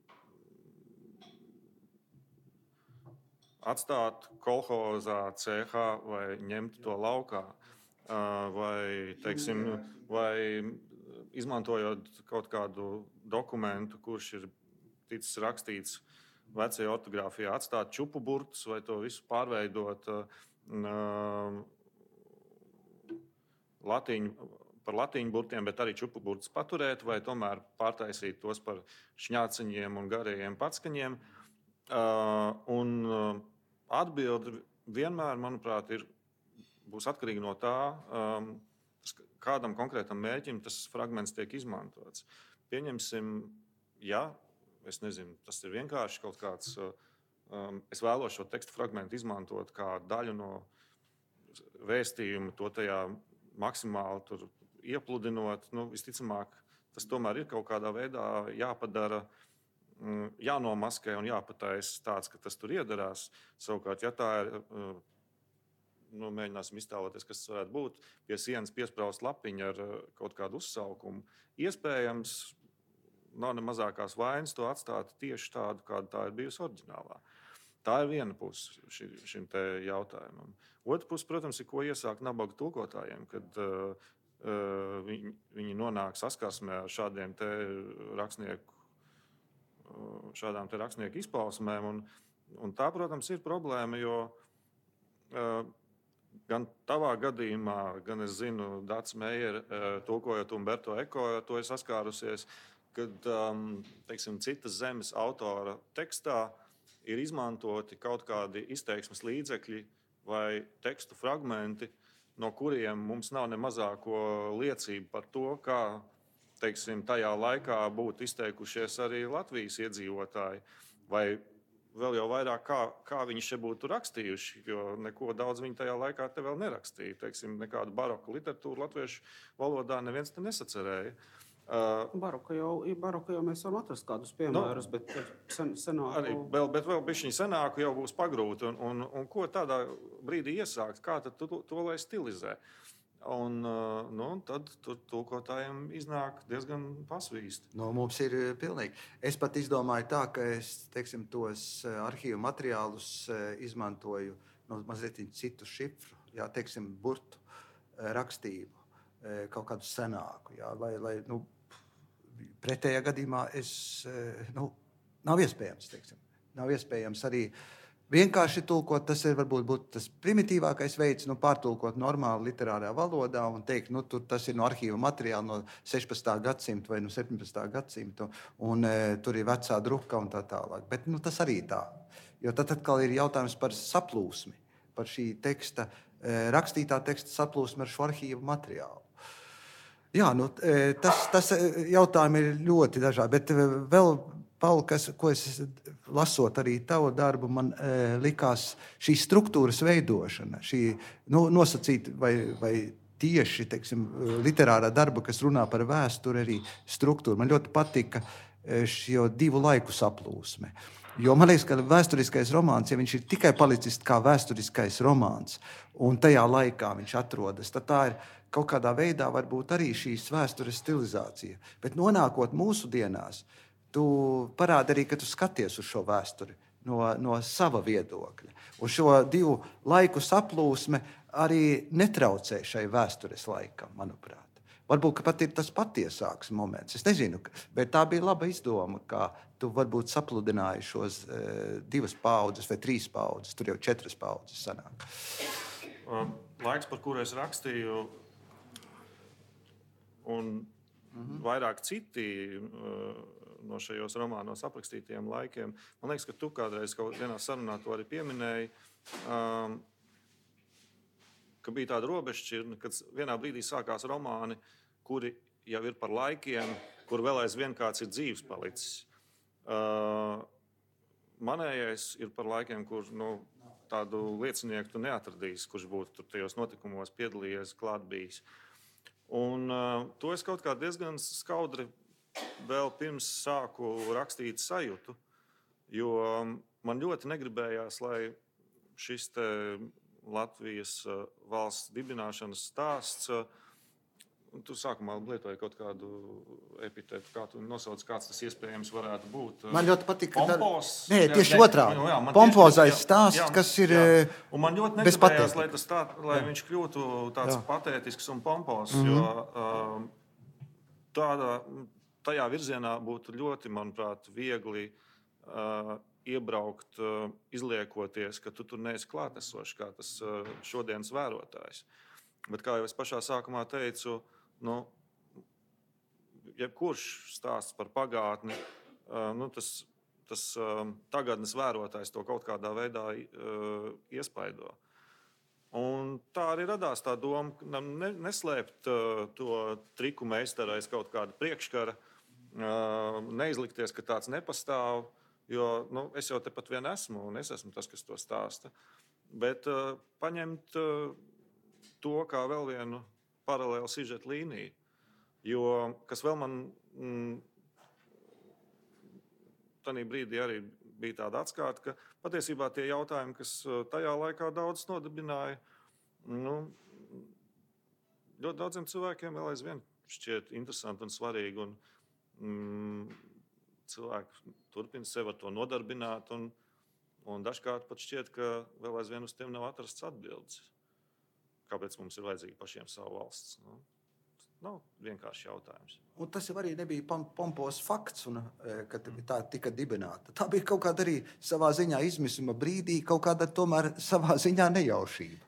atstāt kolhozā, cehā vai ņemt to laukā, uh, vai, teiksim, vai izmantojot kaut kādu dokumentu, kurš ir ticis rakstīts vecajā ortogrāfijā, atstāt čupu burtus vai to visu pārveidot uh, latīņu, par latīņu burtiem, bet arī čupu burtus paturēt vai tomēr pārtaisīt tos par šņāciņiem un garajiem patskaņiem. Uh, un uh, atbilde vienmēr, manuprāt, ir, būs atkarīga no tā, um, kādam konkrētam mērķim tas fragments tiek izmantots. Pieņemsim, ja es nezinu, tas ir vienkārši kaut kāds. Um, es vēlos šo tekstu fragmentu izmantot kā daļu no vēstījuma, to tajā maksimāli tur iepludinot. Nu, visticamāk, tas tomēr ir kaut kādā veidā jāpadara, um, jānomaskē un jāpataisa tāds, ka tas tur iedarās. Savukārt, ja tā ir, uh, nu, mēģināsim iztēloties, kas tas varētu būt, pie sienas piespraust lapiņu ar uh, kaut kādu uzsaukumu, iespējams, nav ne mazākās vainas to atstāt tieši tādu, kāda tā ir bijusi oriģinālā. Tā ir viena puse ši, šim te jautājumam. Otra puse, protams, ir, ko iesākt nabaga tulkotājiem, kad uh, uh, viņi, viņi nonāk saskarsmē ar šādiem te rakstnieku, uh, šādām te rakstnieku izpausmēm. Un, un tā, protams, ir problēma, jo uh, gan tavā gadījumā, gan es zinu, Dācis Meijer, uh, tulkojot Umberto Eko, to ir saskārusies, kad um, teiksim, citas zemes autora tekstā ir izmantoti kaut kādi izteiksmes līdzekļi vai tekstu fragmenti, no kuriem mums nav ne mazāko liecību par to, kā, teiksim, tajā laikā būtu izteikušies arī Latvijas iedzīvotāji, vai vēl jau vairāk, kā, kā viņi šeit būtu rakstījuši, jo neko daudz viņi tajā laikā te vēl nerakstīja. Teiksim, nekādu baroku literatūru latviešu valodā neviens te nesacerēja. Uh, baroku, jau, baroku jau mēs varam atrast kādus piemērus, no, bet sen, senāku... Arī vēl, bet vēl bišķiņ senāku jau būs pagrūti. Un, un, un ko tādā brīdī iesākt? Kā tad tu to, to lai stilizē? Un, uh, nu, tad tur tulkotājiem iznāk diezgan pasvīsti. No, mums ir pilnīgi. Es pat izdomāju tā, ka es, teiksim, tos arhīvu materiālus izmantoju no mazliet citu šifru, jā, teiksim, burtu rakstību, kaut kādu senāku, jā, lai, lai, nu, pretējā gadījumā es, nu, nav iespējams, teiksim, nav iespējams arī vienkārši tulkot. Tas ir varbūt būt tas primitīvākais veids, nu, pārtulkot normāli literārā valodā un teikt, nu, tur tas ir no arhīva materiāla no sešpadsmitā gadsimta vai no septiņpadsmitā gadsimta, un e, tur ir vecā druka un tā tālāk. Bet, nu, tas arī tā, jo tad atkal ir jautājums par saplūsmi, par šī teksta, e, rakstītā teksta saplūsmi ar šo arhīvu materiālu. Jā, nu, tas, tas jautājumi ir ļoti dažādi, bet vēl, Pauli, kas, ko es lasot arī tavu darbu, man e, likās šī struktūras veidošana, šī, nu, nosacīt vai, vai tieši, teiksim, literārā darba, kas runā par vēsturi, arī struktūru. Man ļoti patika šo divu laiku saplūsme. Jo man liekas, ka vēsturiskais romāns, ja viņš ir tikai palicis kā vēsturiskais romāns, un tajā laikā viņš atrodas, tad tā ir kaut kādā veidā varbūt arī šīs vēstures stilizācija. Bet nonākot mūsu dienās, tu parādi arī, ka tu skaties uz šo vēsturi no, no sava viedokļa. Un šo divu laiku saplūsme arī netraucē šai vēstures laikam, manuprāt. Varbūt pat ir tas patiesāks moments. Es nezinu, bet tā bija laba izdoma, kā tu varbūt sapludināji šos e, divas paudzes vai trīs paudzes. Tur jau četras paudzes sanāk. Laiks, par kuru es rakstīju, un mm-hmm. vairāk citi uh, no šajos romānos aprakstītajiem laikiem. Man liekas, ka tu kādreiz kaut vienā sarunā to arī pieminēji, um, ka bija tāda robežšķirtne, kad vienā brīdī sākās romāni, kuri jau ir par laikiem, kur vēl aizvien kāds ir dzīves palicis. Uh, manējais ir par laikiem, kur nu, tādu liecinieku tu neatradīsi, kurš būtu tur tajos notikumos piedalījies, klāt bijis. Un uh, to es kaut kā diezgan skaudri vēl pirms sāku rakstīt sajūtu, Jo man ļoti negribējās, lai šis te Latvijas valsts dibināšanas stāsts, tu sākumā lietoji kaut kādu epitetu, kā tu nosauc, kāds tas iespējams varētu būt. Man ļoti patīk, ka Pompos. Nē, tieši jā, otrā. Jā, Pompozais tieši, stāsts, jā, kas ir jā. Un man ļoti negribējās, lai, tas tā, lai viņš kļūtu tāds jā. patētisks un pompos, mm-hmm. jo um, tādā, tajā virzienā būtu ļoti, manuprāt, viegli uh, iebraukt, uh, izliekoties, ka tu tur neesi klātesošs, kā tas uh, šodienas vērotājs. Bet, kā jau es pašā sākumā teicu, nu, jebkurš stāsts par pagātni, uh, nu, tas, tas uh, tagadnes vērotājs to kaut kādā veidā uh, iespaido. Un tā arī radās tā doma, ne, neslēpt uh, to triku meistaru aiz kaut kāda priekškara, uh, neizlikties, ka tāds nepastāv, jo nu, es jau tepat vien esmu, un es esmu tas, kas to stāsta. Bet uh, paņemt uh, to kā vēl vienu paralēlu sižetu līniju. Jo, kas vēl man mm, tajā brīdī arī bija tāda atskāta, ka patiesībā tie jautājumi, kas tajā laikā daudz nodibināja, nu, ļoti daudziem cilvēkiem vēl aizvien šķiet interesanti un svarīgi. Un, mm, cilvēki turpina sevi ar to nodarbināt, un, un dažkārt pat šķiet, ka vēl aizvien uz tiem nav atrasts atbildes. Kāpēc mums ir vajadzīga pašiem savu valsts? Nu, nav vienkārši jautājums. Un tas jau arī nebija pompos fakts, un, kad tā tika dibināta. Tā bija kaut kāda arī savā ziņā izmisuma brīdī, kaut kāda tomēr savā ziņā nejaušība.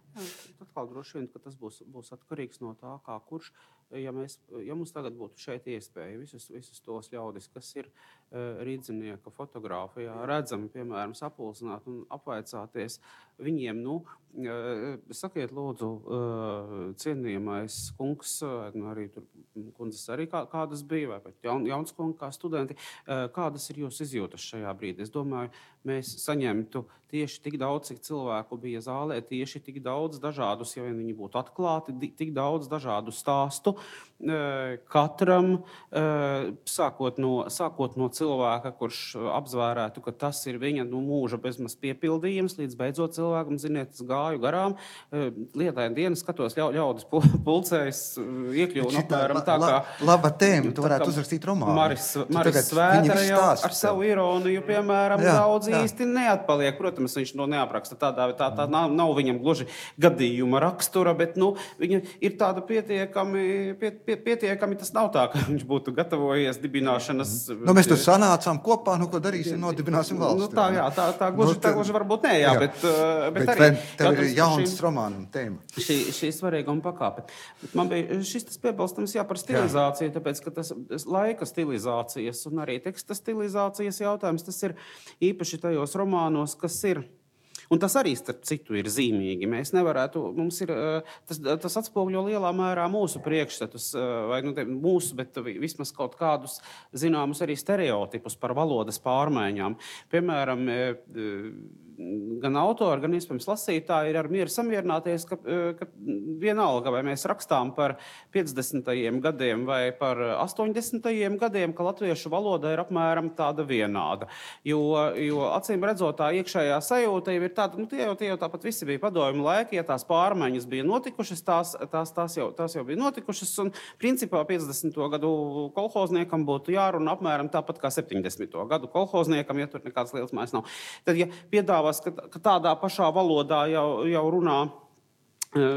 Atkal droši vien, ka tas būs, būs atkarīgs no tā, kā kurš, ja, mēs, ja mums tagad būtu šeit iespēja visus, visus tos ļaudis, kas ir uh, rīdzinieka fotogrāfijā, redzami, piemēram, sapulcināt un apvaicāties viņiem, nu, uh, sakiet lūdzu, uh, cienījamais kungs, uh, arī tur kundzes arī kā, kādas bija, vai pat jaun, jauns kungi kā studenti, uh, kādas ir jūsu izjūtas šajā brīdī? Es domāju, mēs saņemtu tieši tik daudz, cik cilvēku bija zālē, tieši tik daudz dažādus, ja viņi būtu atklāti, tik daudz dažādu stāstu, katram, sākot no, sākot no cilvēka, kurš apzvērētu, ka tas ir viņa nu, mūža bezmaz piepildījums, līdz beidzot cilvēkam, ziniet, es gāju garām, lietaini dienas skatos, ļau, ļaudis pulcējas, iekļuvu un apmēram tā kā... Laba tēma, tu varētu uzrakstīt romānu. Maris, Maris Svētara jau ar savu ironiju, piemēram, jā, daudz jā. īsti neatpaliek. Protams, viņš no neapraksta tādā, tā, tā nav, nav viņam gluži gadījuma rakstura, bet, nu, viņa ir tāda pietiekami, piet, piet, pietiekami, tas nav tā, ka viņš būtu gatavojies dibināšanas... Nu, mēs tur sanācām kopā, nu, ko darīsim, nodibināsim valsti. Nu, tā, jā, tā, tā gluži, nu, tā gluži varbūt ne, jā, jā. bet, bet, bet arī... Tev ir jauns romānam tēma. Šī, šī svarīguma pakāpe. Bet man bija šis tas piebalstams, jā, par stilizāciju, jā. Tāpēc, ka tas laika stilizācijas un arī teksta stilizācijas jautājums, tas ir īpaši tajos romānos, kas ir... Un tas arī, starp citu, ir zīmīgi. Mēs nevarētu, mums ir, tas, tas atspoguļo lielā mērā mūsu priekšstatus, vai nu te, mūsu, bet vismaz kaut kādus zināmus arī stereotipus par valodas pārmaiņām. Piemēram, gan autori, gan iespējams lasītāji ir ar mieru samierināties, ka, ka vienalga, vai mēs rakstām par piecdesmitajiem gadiem vai par astoņdesmitajiem gadiem, ka latviešu valoda ir apmēram tāda vienāda. Jo, jo acīm redzot, tā iekšējā sajūta ir tāda, nu tie jau, tie jau tāpat visi bija padomju laiki, ja tās pārmaiņas bija notikušas, tās, tās, tās, jau, tās jau bija notikušas, un principā piecdesmito gadu kolhozniekam būtu jārunā apmēram tāpat kā septiņdesmito gadu kolhozniekam, ja tur nekāds liels mājas nav. Tad, ja piedāvās, ka, ka tādā pašā valodā jau, jau runā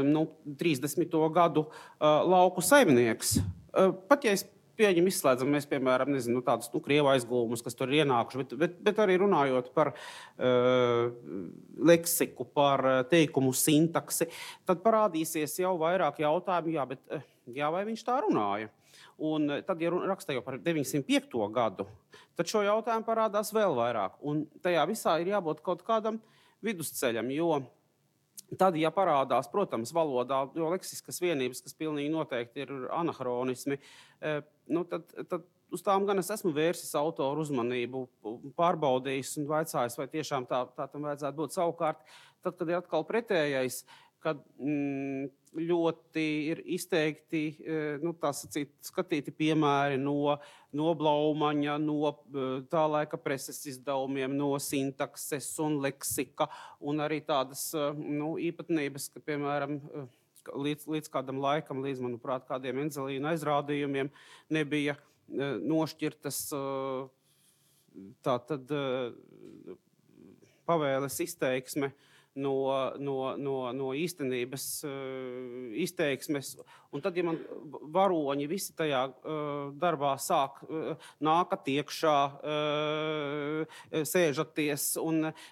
nu, trīsdesmito gadu uh, lauku saimnieks, uh, pat ja es pieņem izslēdzam, mēs, piemēram, nezinu, tādus nu, krievu aizgūmus, kas tur ir ienākuši, bet, bet, bet arī runājot par uh, leksiku, par teikumu sintaksi, tad parādīsies jau vairāk jautājumu, jā, bet jā, vai viņš tā runāja? Un tad, ja raksta jau par deviņsimt piekto gadu, tad šo jautājumu parādās vēl vairāk. Un tajā visā ir jābūt kaut kādam vidusceļam, jo tad, ja parādās, protams, valodā, jo leksiskas vienības, kas pilnīgi noteikti ir anahronismi, nu, tad, tad uz tām gan es esmu vērsis autoru uzmanību, pārbaudījis un vaicājis, vai tiešām tā, tā tam vajadzētu būt savukārt. Tad, kad ir atkal pretējais, kad mm, ļoti ir izteikti nu, tā sacīt, skatīti piemēri no, no Blaumaņa, no tā laika preses izdevumiem, no sintakses un leksika, un arī tādas nu, īpatnības, ka, piemēram, līdz, līdz kādam laikam, līdz, manuprāt, kādiem Enzelīna aizrādījumiem nebija nošķirtas tā tad pavēles izteiksme no, no, no, no īstenības uh, izteiksmes. Un tad, ja man varoņi visi tajā uh, darbā sāk uh, nākat iekšā, uh, sēžaties, un uh,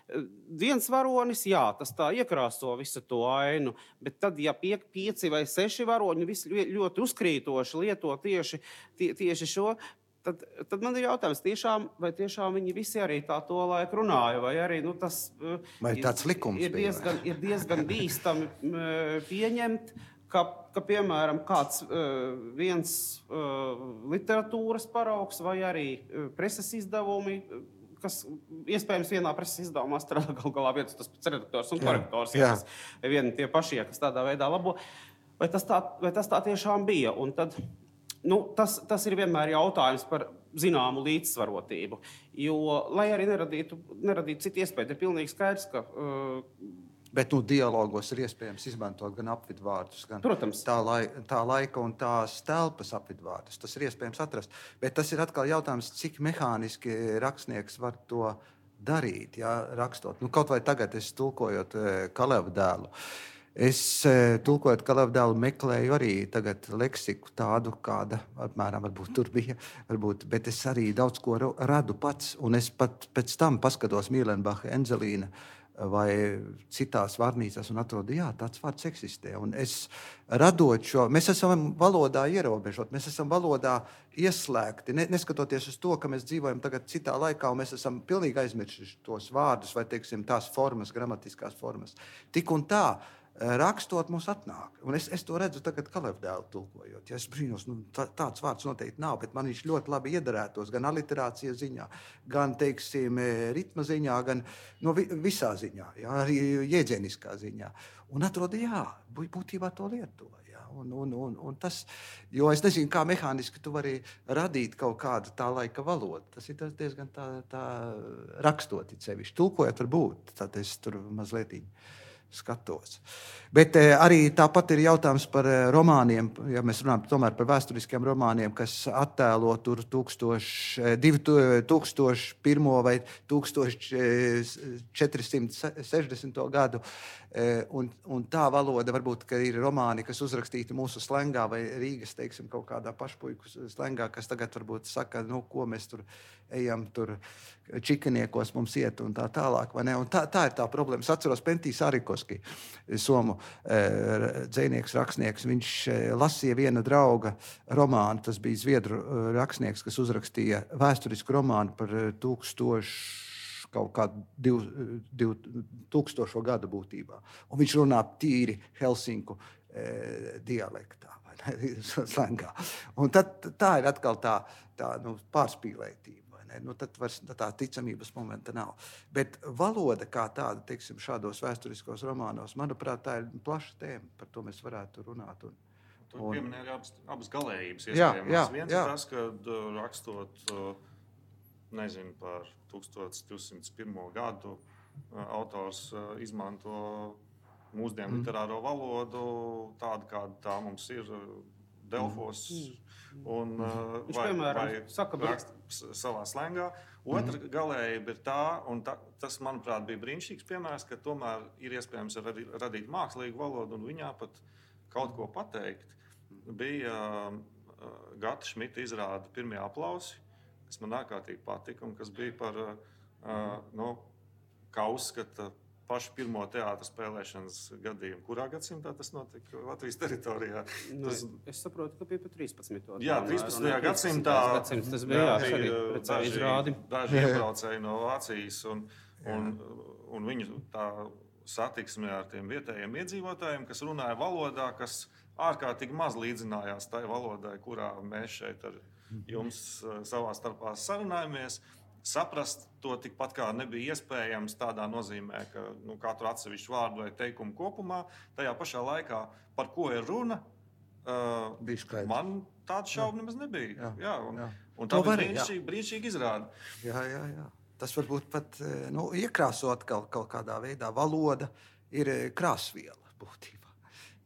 viens varonis, jā, tas tā iekrāso visu to ainu, bet tad, ja pie, pieci vai seši varoņi visi ļoti uzkrītoši lieto tieši, tie, tieši šo, Tad, tad man ir jautājums, tiešām, vai tiešām viņi visi arī tā to laiku runāja, vai arī nu, tas vai tāds likums ir diezgan, ir diezgan bīstami pieņemt, ka, ka piemēram, kāds viens literatūras paraugs vai arī preses izdevumi, kas iespējams vienā preses izdevumā strādā gal galā viens tas pats redaktors un korektors, ja, kas vieni tie pašie, kas tādā veidā labo, vai tas tā, vai tas tā tiešām bija, un tad Nu, tas, tas ir vienmēr jautājums par zināmu līdzsvarotību, jo, lai arī neradītu, neradītu citu iespēju, ir pilnīgi skaidrs, ka... Uh, Bet nu, dialogos ir iespējams izmantot gan apvidvārdus, gan Protams. tā, lai, tā laika un tās telpas apvidvārdus. Tas ir iespējams atrast. Bet tas ir atkal jautājums, cik mehāniski rakstnieks var to darīt, jā, rakstot. Nu, kaut vai tagad es tulkojot Kaleva dēlu. Es tulkojot Kaleva dēlu meklēju arī tagad leksiku tādu, kāda apmēram varbūt tur bija, varbūt, bet es arī daudz ko radu pats, un es pat pēc tam paskatos Mīlenbacha, Enzelīna vai citās vārnīcās un atrodu, jā, tāds vārds eksistē. Un es radot šo, mēs esam valodā ierobežot, mēs esam valodā ieslēgti, ne, neskatoties uz to, ka mēs dzīvojam tagad citā laikā, un mēs esam pilnīgi aizmirsuši tos vārdus vai, teiksim, tās formas, gramatiskās formas. Tik un tā, rakstot mums atnāk. Un es, es to redzu tagad Kaleva dēlu tulkojot. Ja es brīnos, nu, tā, tāds vārds noteikti nav, bet man viņš ļoti labi iedarētos gan aliterācijas ziņā, gan, teiksim, ritma ziņā, gan no vi, visā ziņā, ja, arī jēdzieniskā ziņā. Un atrodu, jā, būtībā to lieto. Ja, un, un, un, un tas, jo es nezinu, kā mehāniski tu vari radīt kaut kādu tā laika valodu. Tas ir diezgan tā, tā rakstot it sevišķi. Tulkojot var būt, tad es tur mazliet skatos. Bet eh, arī tāpat ir jautājums par eh, romāniem, ja mēs runājam tomēr par vēsturiskiem romāniem, kas attēlo tur divi tūkstoši pirmo vai četri simti sešdesmito gadu. Eh, un, un tā valoda varbūt, ka ir romāni, kas uzrakstīti mūsu slengā vai Rīgas, teiksim, kaut kādā pašpuiku slengā, kas tagad varbūt saka, nu, ko mēs tur ejam, tur čikaniekos mums iet un tā tālāk, vai ne? Un tā, tā ir tā problēma. Es atceros Pentijs Arikoski, somu e, dzejnieks, rakstnieks. Viņš e, lasīja viena drauga romānu, tas bija zviedru e, rakstnieks, kas uzrakstīja vēsturisku romānu par tūkstošu kaut kādu div, div, tūkstošo gadu būtībā. Un viņš runā tīri Helsinku e, dialektā, vai ne, slengā. Un tad, tā ir atkal tā, tā nu, pārspīlētība. Nu, tad vairs tā ticamības momenta nav. Bet valoda kā tāda, teiksim, šādos vēsturiskos romānos, manuprāt, tā ir plaša tēma, par to mēs varētu runāt. Un, Tur un... pieminēja abas, abas galējības iespējams. Jā, jā, Viens jā. ir tas, kad rakstot, nezinu, par tūkstoš divsimt pirmo gadu, autors izmanto mūsdienu mm. literāro valodu, tādu, kāda tā mums ir Delfos, mm. un Viņš, vai, piemēram, vai saka, rakst savā slengā. Otra mm. galējība ir tā, un ta, tas, manuprāt, bija brīnišķīgs piemērs, ka tomēr ir iespējams radīt, radīt mākslīgu valodu un viņā pat kaut ko pateikt. Bija uh, Gata Šmita izrāda pirmie aplausi, kas man ārkārtīgi patika un kas bija par, uh, nu, kā uzskata, pašu pirmo teātra spēlēšanas gadījumu. Kurā gadsimtā tas notika Latvijas teritorijā? Nu, Tas... Es saprotu, ka bija pa trīspadsmitajā Jā, trīspadsmitajā gadsimtā. Tas bija, jā, arī daži, izrādi. daži iebraucēji no Vācijas, un, un, un viņu tā satiksmē ar tiem vietējiem iedzīvotājiem, kas runāja valodā, kas ārkārtīgi maz līdzinājās tai valodai, kurā mēs šeit ar jums savā starpā sarunājamies. saprast to tikpat kā nebija iespējams tādā nozīmē, ka nu, katru atsevišķu vārdu vai teikumu kopumā, tajā pašā laikā, par ko ir runa, uh, man tāda šauba nemaz nebija. Jā, jā, un, jā. un tā bija brīnišķīgi, brīnišķīgi izrāda. Jā, jā, jā. Tas varbūt pat nu, iekrāsot kaut, kaut kādā veidā. Valoda ir krāsviela būtībā.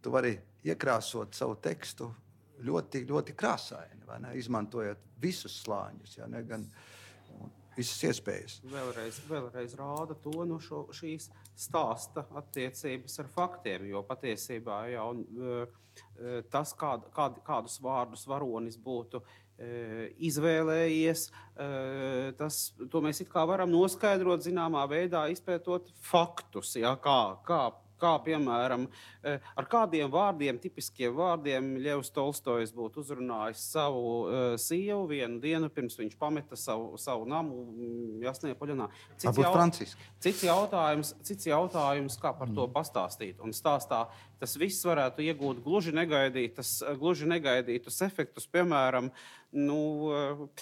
Tu vari iekrāsot savu tekstu ļoti, ļoti krāsaini, vai ne? Izmantojot visus slāņus, ja ne? Gan visas iespējas. Vēlreiz, vēlreiz rāda to no šo, šīs stāsta attiecības ar faktiem, jo patiesībā jau tas, kād, kād, kādus vārdus varonis būtu izvēlējies, tas, to mēs it kā varam noskaidrot zināmā veidā, izpētot faktus, ja, kā, kā, kā piemēram, ar kādiem vārdiem, tipiskiem vārdiem Ļevs Tolstojs būtu uzrunājis savu uh, sievu vienu dienu, pirms viņš pameta savu, savu namu Jasnajā Poļanā. Cits, jaut... cits, jautājums, cits jautājums, kā par to pastāstīt. Un stāstā tas viss varētu iegūt gluži negaidītas, gluži negaidītus efektus, piemēram, nu,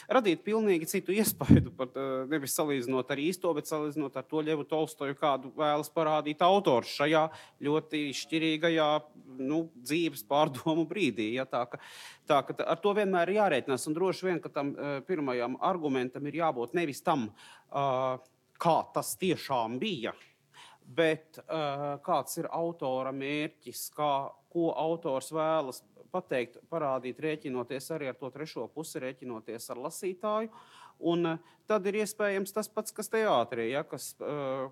radīt pilnīgi citu iespaidu, pat nevis salīdzinot ar īsto, bet salīdzinot ar to Ļevu Tolstoju, kādu vēlas parādīt autors šajā ļoti šķirīgajā nu, dzīves pārdomu brīdī. Ja, tā, ka, tā, ka ar to vienmēr ir jārēķinās, un droši vien, ka tam pirmajam argumentam ir jābūt nevis tam, kā tas tiešām bija, bet uh, kāds ir autora mērķis, kā, ko autors vēlas pateikt, parādīt, rēķinoties arī ar to trešo pusi, rēķinoties ar lasītāju. Un uh, tad ir iespējams tas pats, kas teātrī, ja, kas uh,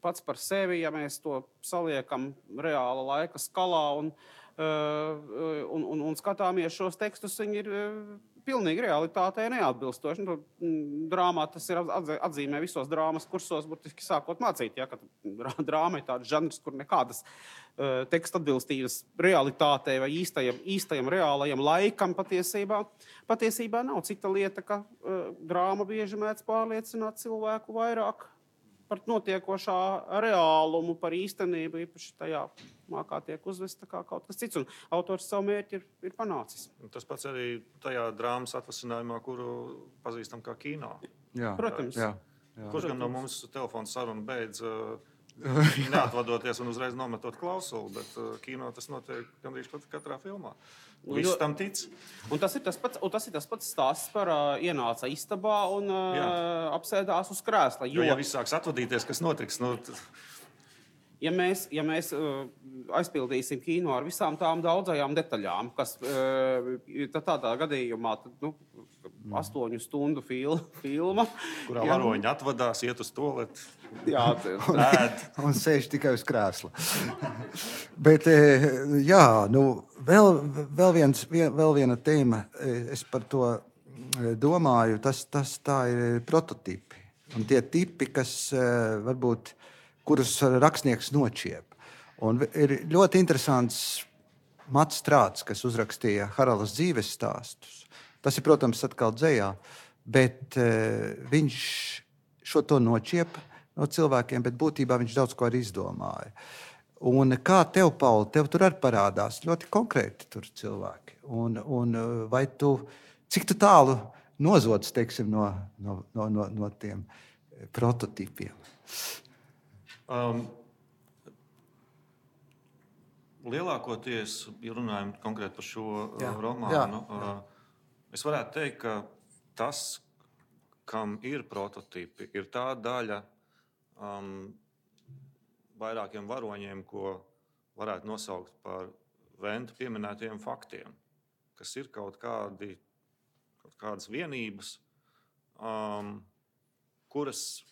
pats par sevi, ja mēs to saliekam reāla laika skalā un, uh, un, un, un skatāmies šos tekstus, viņi ir uh, pilnīgi realitātei neatbilstoši. Nu, drāmā tas ir atzīmē visos drāmas kursos, burtiski sākot mācīt, ja, ka drāma ir tāds žanrs, kur nekādas uh, teksta atbilstības realitātei vai īstajam, īstajam reālajam laikam patiesībā, patiesībā nav. Cita lieta, ka uh, drāma bieži mēdz pārliecināt cilvēku vairāk par notiekošā reālumu, par īstenību, īpaši tajā mākā tiek uzvesta kā kaut kas cits, un autors savu mērķi ir, ir panācis. Tas pats arī tajā drāmas atvasinājumā, kuru pazīstam kā kino. Jā. Protams. Jā, jā. Kurš gan no mums telefonu sarunu beidz uh, neatvadoties un uzreiz nometot klausuli, bet uh, kino tas notiek gandrīz katrā filmā. Viss tam tic. Un tas ir tas pats, un tas ir tas pats stāsts par uh, ienāca istabā un uh, apsēdās uz krēsla. Jo, jo ja viss sāks atvadīties, kas notiks? Nu, t... Ja mēs, ja mēs uh, aizpildīsim kino ar visām tām daudzajām detaļām, kas uh, tādā gadījumā tad, nu, astoņu stundu fil, filma. Kurā ja, varoņi atvadās, iet uz toaleti. Jā, ēd. Un sēž tikai uz krēsla. Bet, jā, nu, vēl, vēl, viens, vēl viena tēma, es par to domāju, tas, tas tā ir prototipi. Un tie tipi, kas varbūt, kurus rakstnieks nočiep. Un ir ļoti interesants Mats Strāts, kas uzrakstīja Haralas dzīves stāstus. Tas ir, protams, atkal dzejā, bet uh, viņš šo to nočiep no cilvēkiem, bet būtībā viņš daudz ko arī izdomāja. Un kā tev, Pauli, tev tur arī parādās ļoti konkrēti tur cilvēki. Un, un vai tu, cik tu tālu nozods, teiksim, no, no, no, no, no tiem prototipiem? Um, lielākoties, ja runājam konkrēti par šo jā, romānu, jā, jā. Uh, es varētu teikt, ka tas, kam ir prototipi, ir tā daļa um, vairākiem varoņiem, ko varētu nosaukt par Venta pieminētajiem faktiem, kas ir kaut, kādi, kaut kādas vienības, um, kuras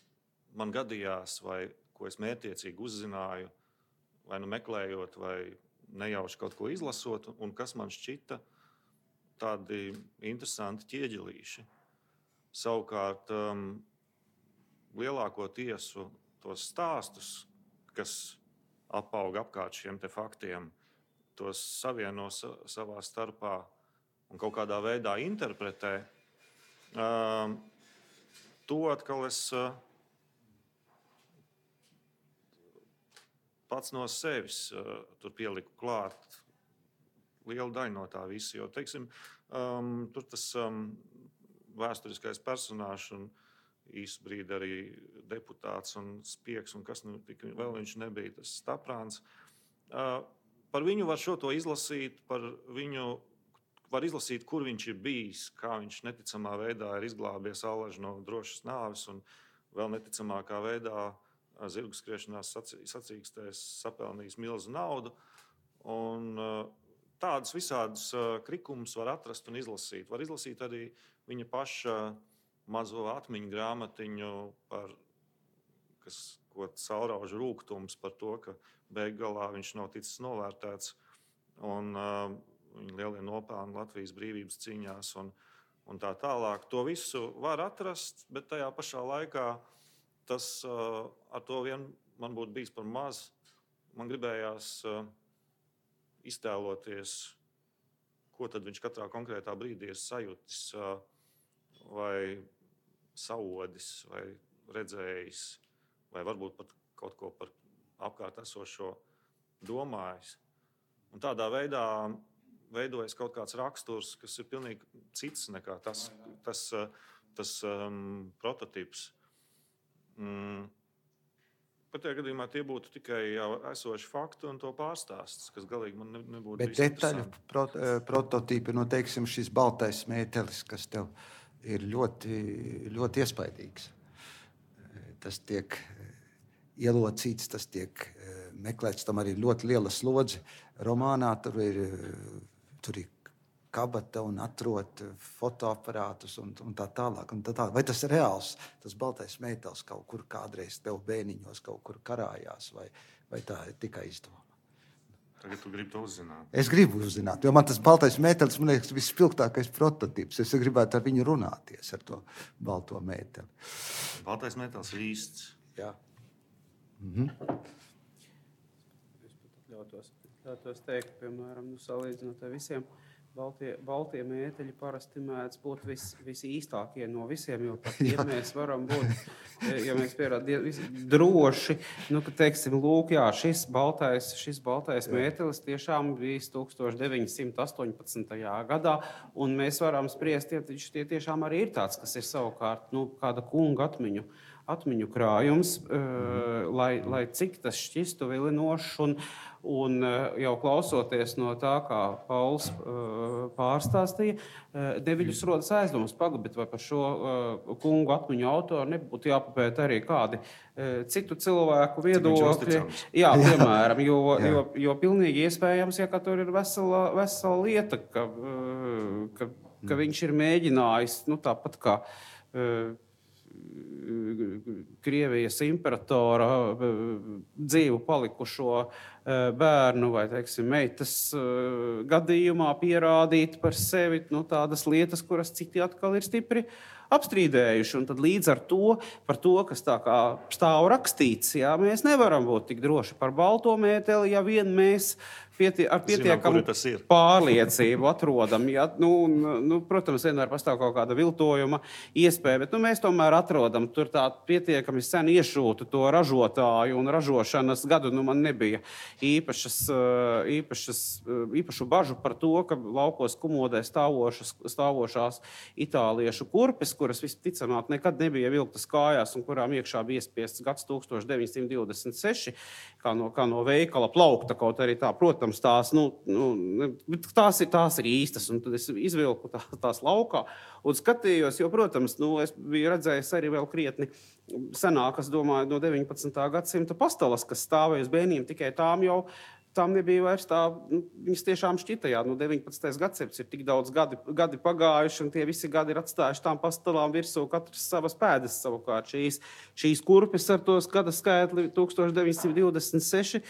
man gadījās, vai ko es mērķiecīgi uzzināju, vai nu meklējot, vai nejauši kaut ko izlasot, un kas man šķita tādi interesanti ķieģelīši. Savukārt, um, lielāko tiesu tos stāstus, kas apauga apkārt šiem te faktiem, tos savieno sa- savā starpā un kaut kādā veidā interpretē, um, to atkal es uh, pats no sevis uh, tur pieliku klāt lielu daļu no tā visa, jo, teiksim, um, tur tas um, vēsturiskais personāžs un īsu brīdi arī deputāts un spiegs, un kas nu tik vēl viņš nebija, tas Staprāns. Par viņu var šo to izlasīt, par viņu var izlasīt, kur viņš ir bijis, kā viņš neticamā veidā ir izglābies allaži no drošas nāves un vēl neticamākā veidā zirgu skriešanās sacīkstēs sapelnījis milzu naudu. Un tādus visādus krikumus var atrast un izlasīt. Var izlasīt arī viņa paša mazo atmiņu grāmatiņu, par, kas, ko caurauž rūgtums par to, ka beig galā viņš nav ticis novērtēts. Un uh, viņa lielie nopelni Latvijas brīvības cīņās un, un tā tālāk. To visu var atrast, bet tajā pašā laikā tas uh, ar to vien man būtu bijis par maz. Man gribējās uh, iztēloties, ko tad viņš katrā konkrētā brīdī ir sajūtis, uh, vai saodis, vai redzējis, vai varbūt pat kaut ko par apkārt esošo domājis. Un tādā veidā veidojas kaut kāds raksturs, kas ir pilnīgi cits nekā tas, tas, tas um, prototips. Mm. Pat tajā gadījumā tie būtu tikai jau esoši fakti un to pārstāsts, kas galīgi man ne, nebūtu Bet detaļu prot, prototipi, nu, teiksim, šis baltais mētelis, kas tev ir ļoti, ļoti iespaidīgs. Tas tiek ielocīts, tas tiek meklēts, tam arī ļoti liela slodze. Romānā tur ir, tur ir kabata un atrot fotoaparātus un, un tā tālāk. Un tā tālāk. Vai tas ir reāls, tas baltais mētelis kaut kur kādreiz tev bēniņos kaut kur karājās, vai, vai tā ir tikai izdoma? Tagad tu gribi to uzzināt. Es gribu uzzināt, jo man tas baltais mētelis, man liekas, vispilgtākais prototips. Es gribētu ar viņu runāties, ar to balto mēteli. Baltais mētelis ir īsts. Jā. Mhm. Es pat ļautos, ļautos teikt, piemēram, nu, salīdzinot ar visiem, baltie, baltie mēteļi parasti mēdz būt vis, visīstākie no visiem, jo par tiem mēs varam būt, ja mēs pierādām droši, nu, ka, teiksim, lūk, jā, šis baltais, šis baltais jā. mētelis tiešām bijis tūkstoš deviņi simti astoņpadsmitajā gadā, un mēs varam spriest, ja tie tiešām arī ir tāds, kas ir savukārt, nu, kāda kunga atmiņu. atmiņu krājums, uh, lai, lai cik tas šķistu vilinošs un, un uh, jau klausoties no tā, kā Pauls uh, pārstāstīja, uh, neviļus rodas aizdomas pagabit, vai par šo uh, kungu atmiņu autoru nebūtu jāpapēt arī kādi uh, citu cilvēku viedokļi. Jā, piemēram, jo, jo, jo pilnīgi iespējams, ja ka tur ir vesela, vesela lieta, ka, uh, ka, ka viņš ir mēģinājis, nu tāpat kā uh, Krievijas imperatora dzīvu palikušo bērnu vai, teiksim, meitas gadījumā pierādīt par sevi, nu, tādas lietas, kuras citi atkal ir stipri apstrīdējuši. Un tad līdz ar to, par to, kas tā kā stāv rakstīts, jā, mēs nevaram būt tik droši par balto mēteli, ja vien mēs Pietie, ar pietiekamu Zinām, pārliecību atrodam. Ja, nu, nu, protams, vienmēr pastāv kaut kāda viltojuma iespēja, bet nu, mēs tomēr atrodam tur tā pietiekami sen iešūtu to ražotāju un ražošanas gadu. Nu, man nebija īpašas, īpašas, īpašu bažu par to, ka laukos kumodē stāvošas, stāvošās itāliešu kurpes, kuras visticamāk nekad nebija vilktas kājās un kurām iekšā bija iespiests gads tūkstoš deviņi simti divdesmit seši, kā no, kā no veikala plaukta, kaut arī tā, protams, Tās, nu, nu, tās, ir, tās ir īstas, un tad es izvilku tā, tās laukā un skatījos, jo, protams, nu, es biju redzējis arī vēl krietni senākas, domāju, no deviņpadsmitā gadsimta pastalas, kas stāvēja uz bēniem, tikai tām jau tām nebija vairs tā, nu, viņas tiešām šķita, jā, nu, deviņpadsmitais gadsimts ir tik daudz gadi, gadi pagājuši, un tie visi gadi ir atstājuši tām pastalām virsū katras savas pēdas savukārt. Šīs, šīs kurpes ar tos gada skaitli tūkstoš deviņi simti divdesmit seši,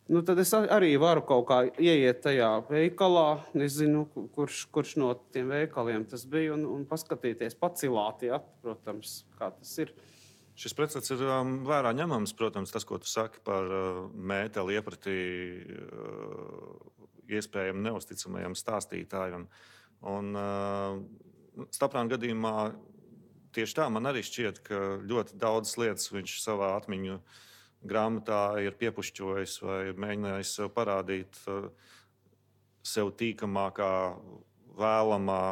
nu, tad es arī varu kaut kā ieiet tajā veikalā, nezinu, kurš, kurš no tiem veikaliem tas bija, un, un paskatīties, pacilāt, jā, protams, kā tas ir. Šis precedents ir um, vērā ņemams, protams, tas, ko tu saki par uh, mēteli iepratī uh, iespējami neusticamajam stāstītājam. Un uh, Staprāna gadījumā tieši tā man arī šķiet, ka ļoti daudzas lietas viņš savā atmiņu grāmatā ir piepušķojis vai ir mēģinājis sev parādīt sev tīkamākā, vēlamā,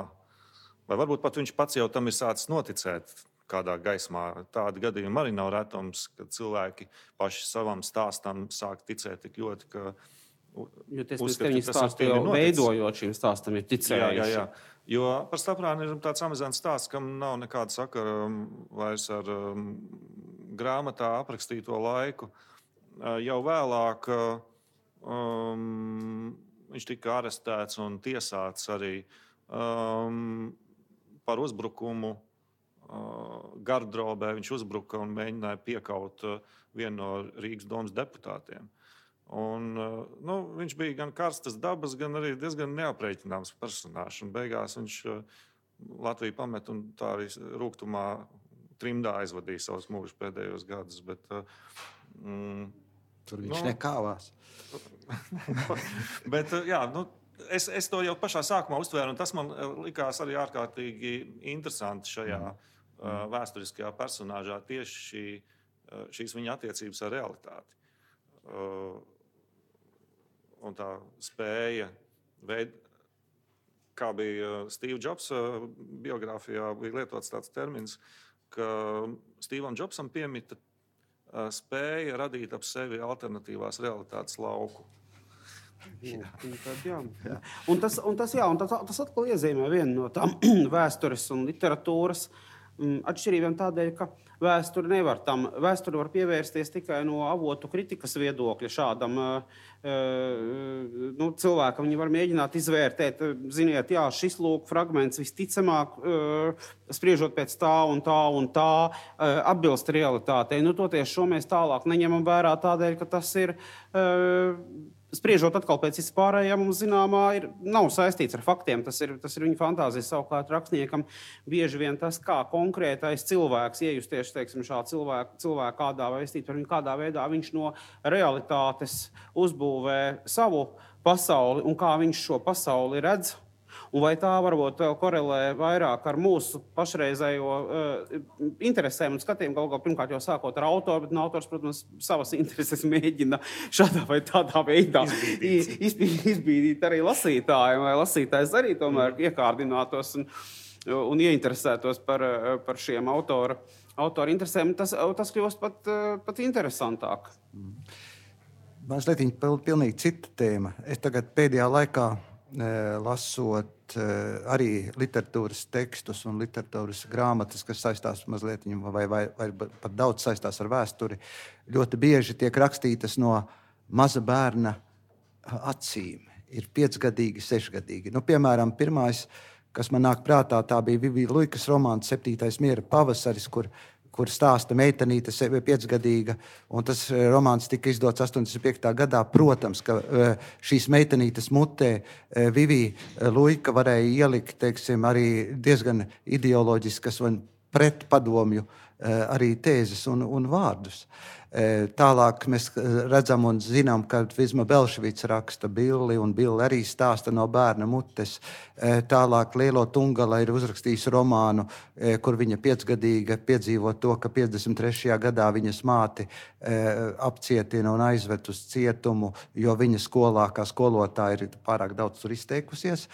vai varbūt pat viņš pats jau tam ir sācis noticēt. kādā gaismā. Tādi gadījumi arī nav retums, kad cilvēki paši savam stāstam sāk ticēt tik ļoti, ka jo tiesmies, ka viņi stāstu jau veidojot šīm stāstam ir ticējuši. Jā, jā, jā. Jo par Staprānu ir tāds amizants stāsts, kam nav nekāda sakara vairs ar um, grāmatā aprakstīto laiku. Uh, jau vēlāk um, viņš tika arestēts un tiesāts arī um, par uzbrukumu uh, gardrobē. Viņš uzbruka un mēģināja piekaut uh, vienu no Rīgas domas deputātiem. Un, uh, nu, viņš bija gan karstas dabas, gan arī diezgan neaprēķināms personāžs. Un beigās viņš uh, Latviju pamet un tā arī rūgtumā trimdā aizvadīja savus mūžus pēdējos gadus. Bet, uh, mm, Tur viņš nu, nekāvās. bet, uh, jā, nu, Es, es to jau pašā sākumā uztvēru, un tas man likās arī ārkārtīgi interesanti šajā mm. uh, vēsturiskajā personāžā, tieši šī, uh, šīs viņa attiecības ar realitāti. Uh, un tā spēja, veid, kā bija Steve Jobs uh, biogrāfijā, bija lietots tāds termins, ka Stevam Jobsam piemita uh, spēja radīt ap sevi alternatīvās realitātes lauku. Jā. Tad, jā. Jā. Un tas, un tas, jā, un tas, tas atkal iezīmē vienu no tām vēstures un literatūras atšķirībām tādēļ, ka vēsture nevar tam, vēsture var pievērsties tikai no avotu kritikas viedokļa šādam uh, nu, cilvēkam. Viņi var mēģināt izvērtēt, ziniet, jā, šis lūk fragments visticamāk, uh, spriežot pēc tā un tā un tā, uh, atbilst realitātei. Nu, toties šo mēs tālāk neņemam vērā tādēļ, ka tas ir... Uh, Spriežot atkal pēc vispārējā, mums zināmā ir, nav saistīts ar faktiem. Tas ir, tas ir viņa fantāzijas. Savukārt rakstniekam bieži vien tas, kā konkrētais cilvēks iejusties, teiksim, šā cilvēka, cilvēka kādā vēstīt par viņu, kādā veidā viņš no realitātes uzbūvē savu pasauli un kā viņš šo pasauli redz. Un vai tā varbūt vēl korelē vairāk ar mūsu pašreizējo uh, interesēm un skatiem, galu galā pirmkārt jau sākot ar autoru, bet no autors, protams, savas intereses mēģina šādā vai tādā veidā izbīdīt, izbīdīt, izbīdīt arī lasītājiem, lai lasītājs arī tomēr mm. iekārdinātos un, un ieinteresētos par, par šiem autora, autora interesēm. Tas, tas kļūst pat, pat interesantāk. Mm. Mazliet pilnīgi cita tēma. Es tagad pēdējā laikā lasot arī literatūras tekstus un literatūras grāmatas, kas saistās mazliet vai, vai, vai pat daudz saistās ar vēsturi, ļoti bieži tiek rakstītas no maza bērna acīm. Ir piecgadīgi, sešgadīgi. Nu, piemēram, pirmais, kas man nāk prātā, tā bija Vivija Luikas romāns Septītais miera pavasaris, kur kur stāsta meitenīte piecgadīga, un tas romāns tika izdots astoņdesmit piektā gadā. Protams, ka šīs meitenītes mutē Vivija Luika varēja ielikt, teiksim, arī diezgan ideoloģiskas un pretpadomju arī tēzes un, un vārdus. Tālāk mēs redzam un zinām, ka Vizma Belševics raksta Billi, un Billi arī stāsta no bērna mutes. Tālāk Lielo Tungala ir uzrakstījis romānu, kur viņa piecgadīga piedzīvo to, ka piecdesmit trešajā gadā viņas māti apcietina un aizved uz cietumu, jo viņa skolā kā skolotāja ir pārāk daudz tur izteikusies.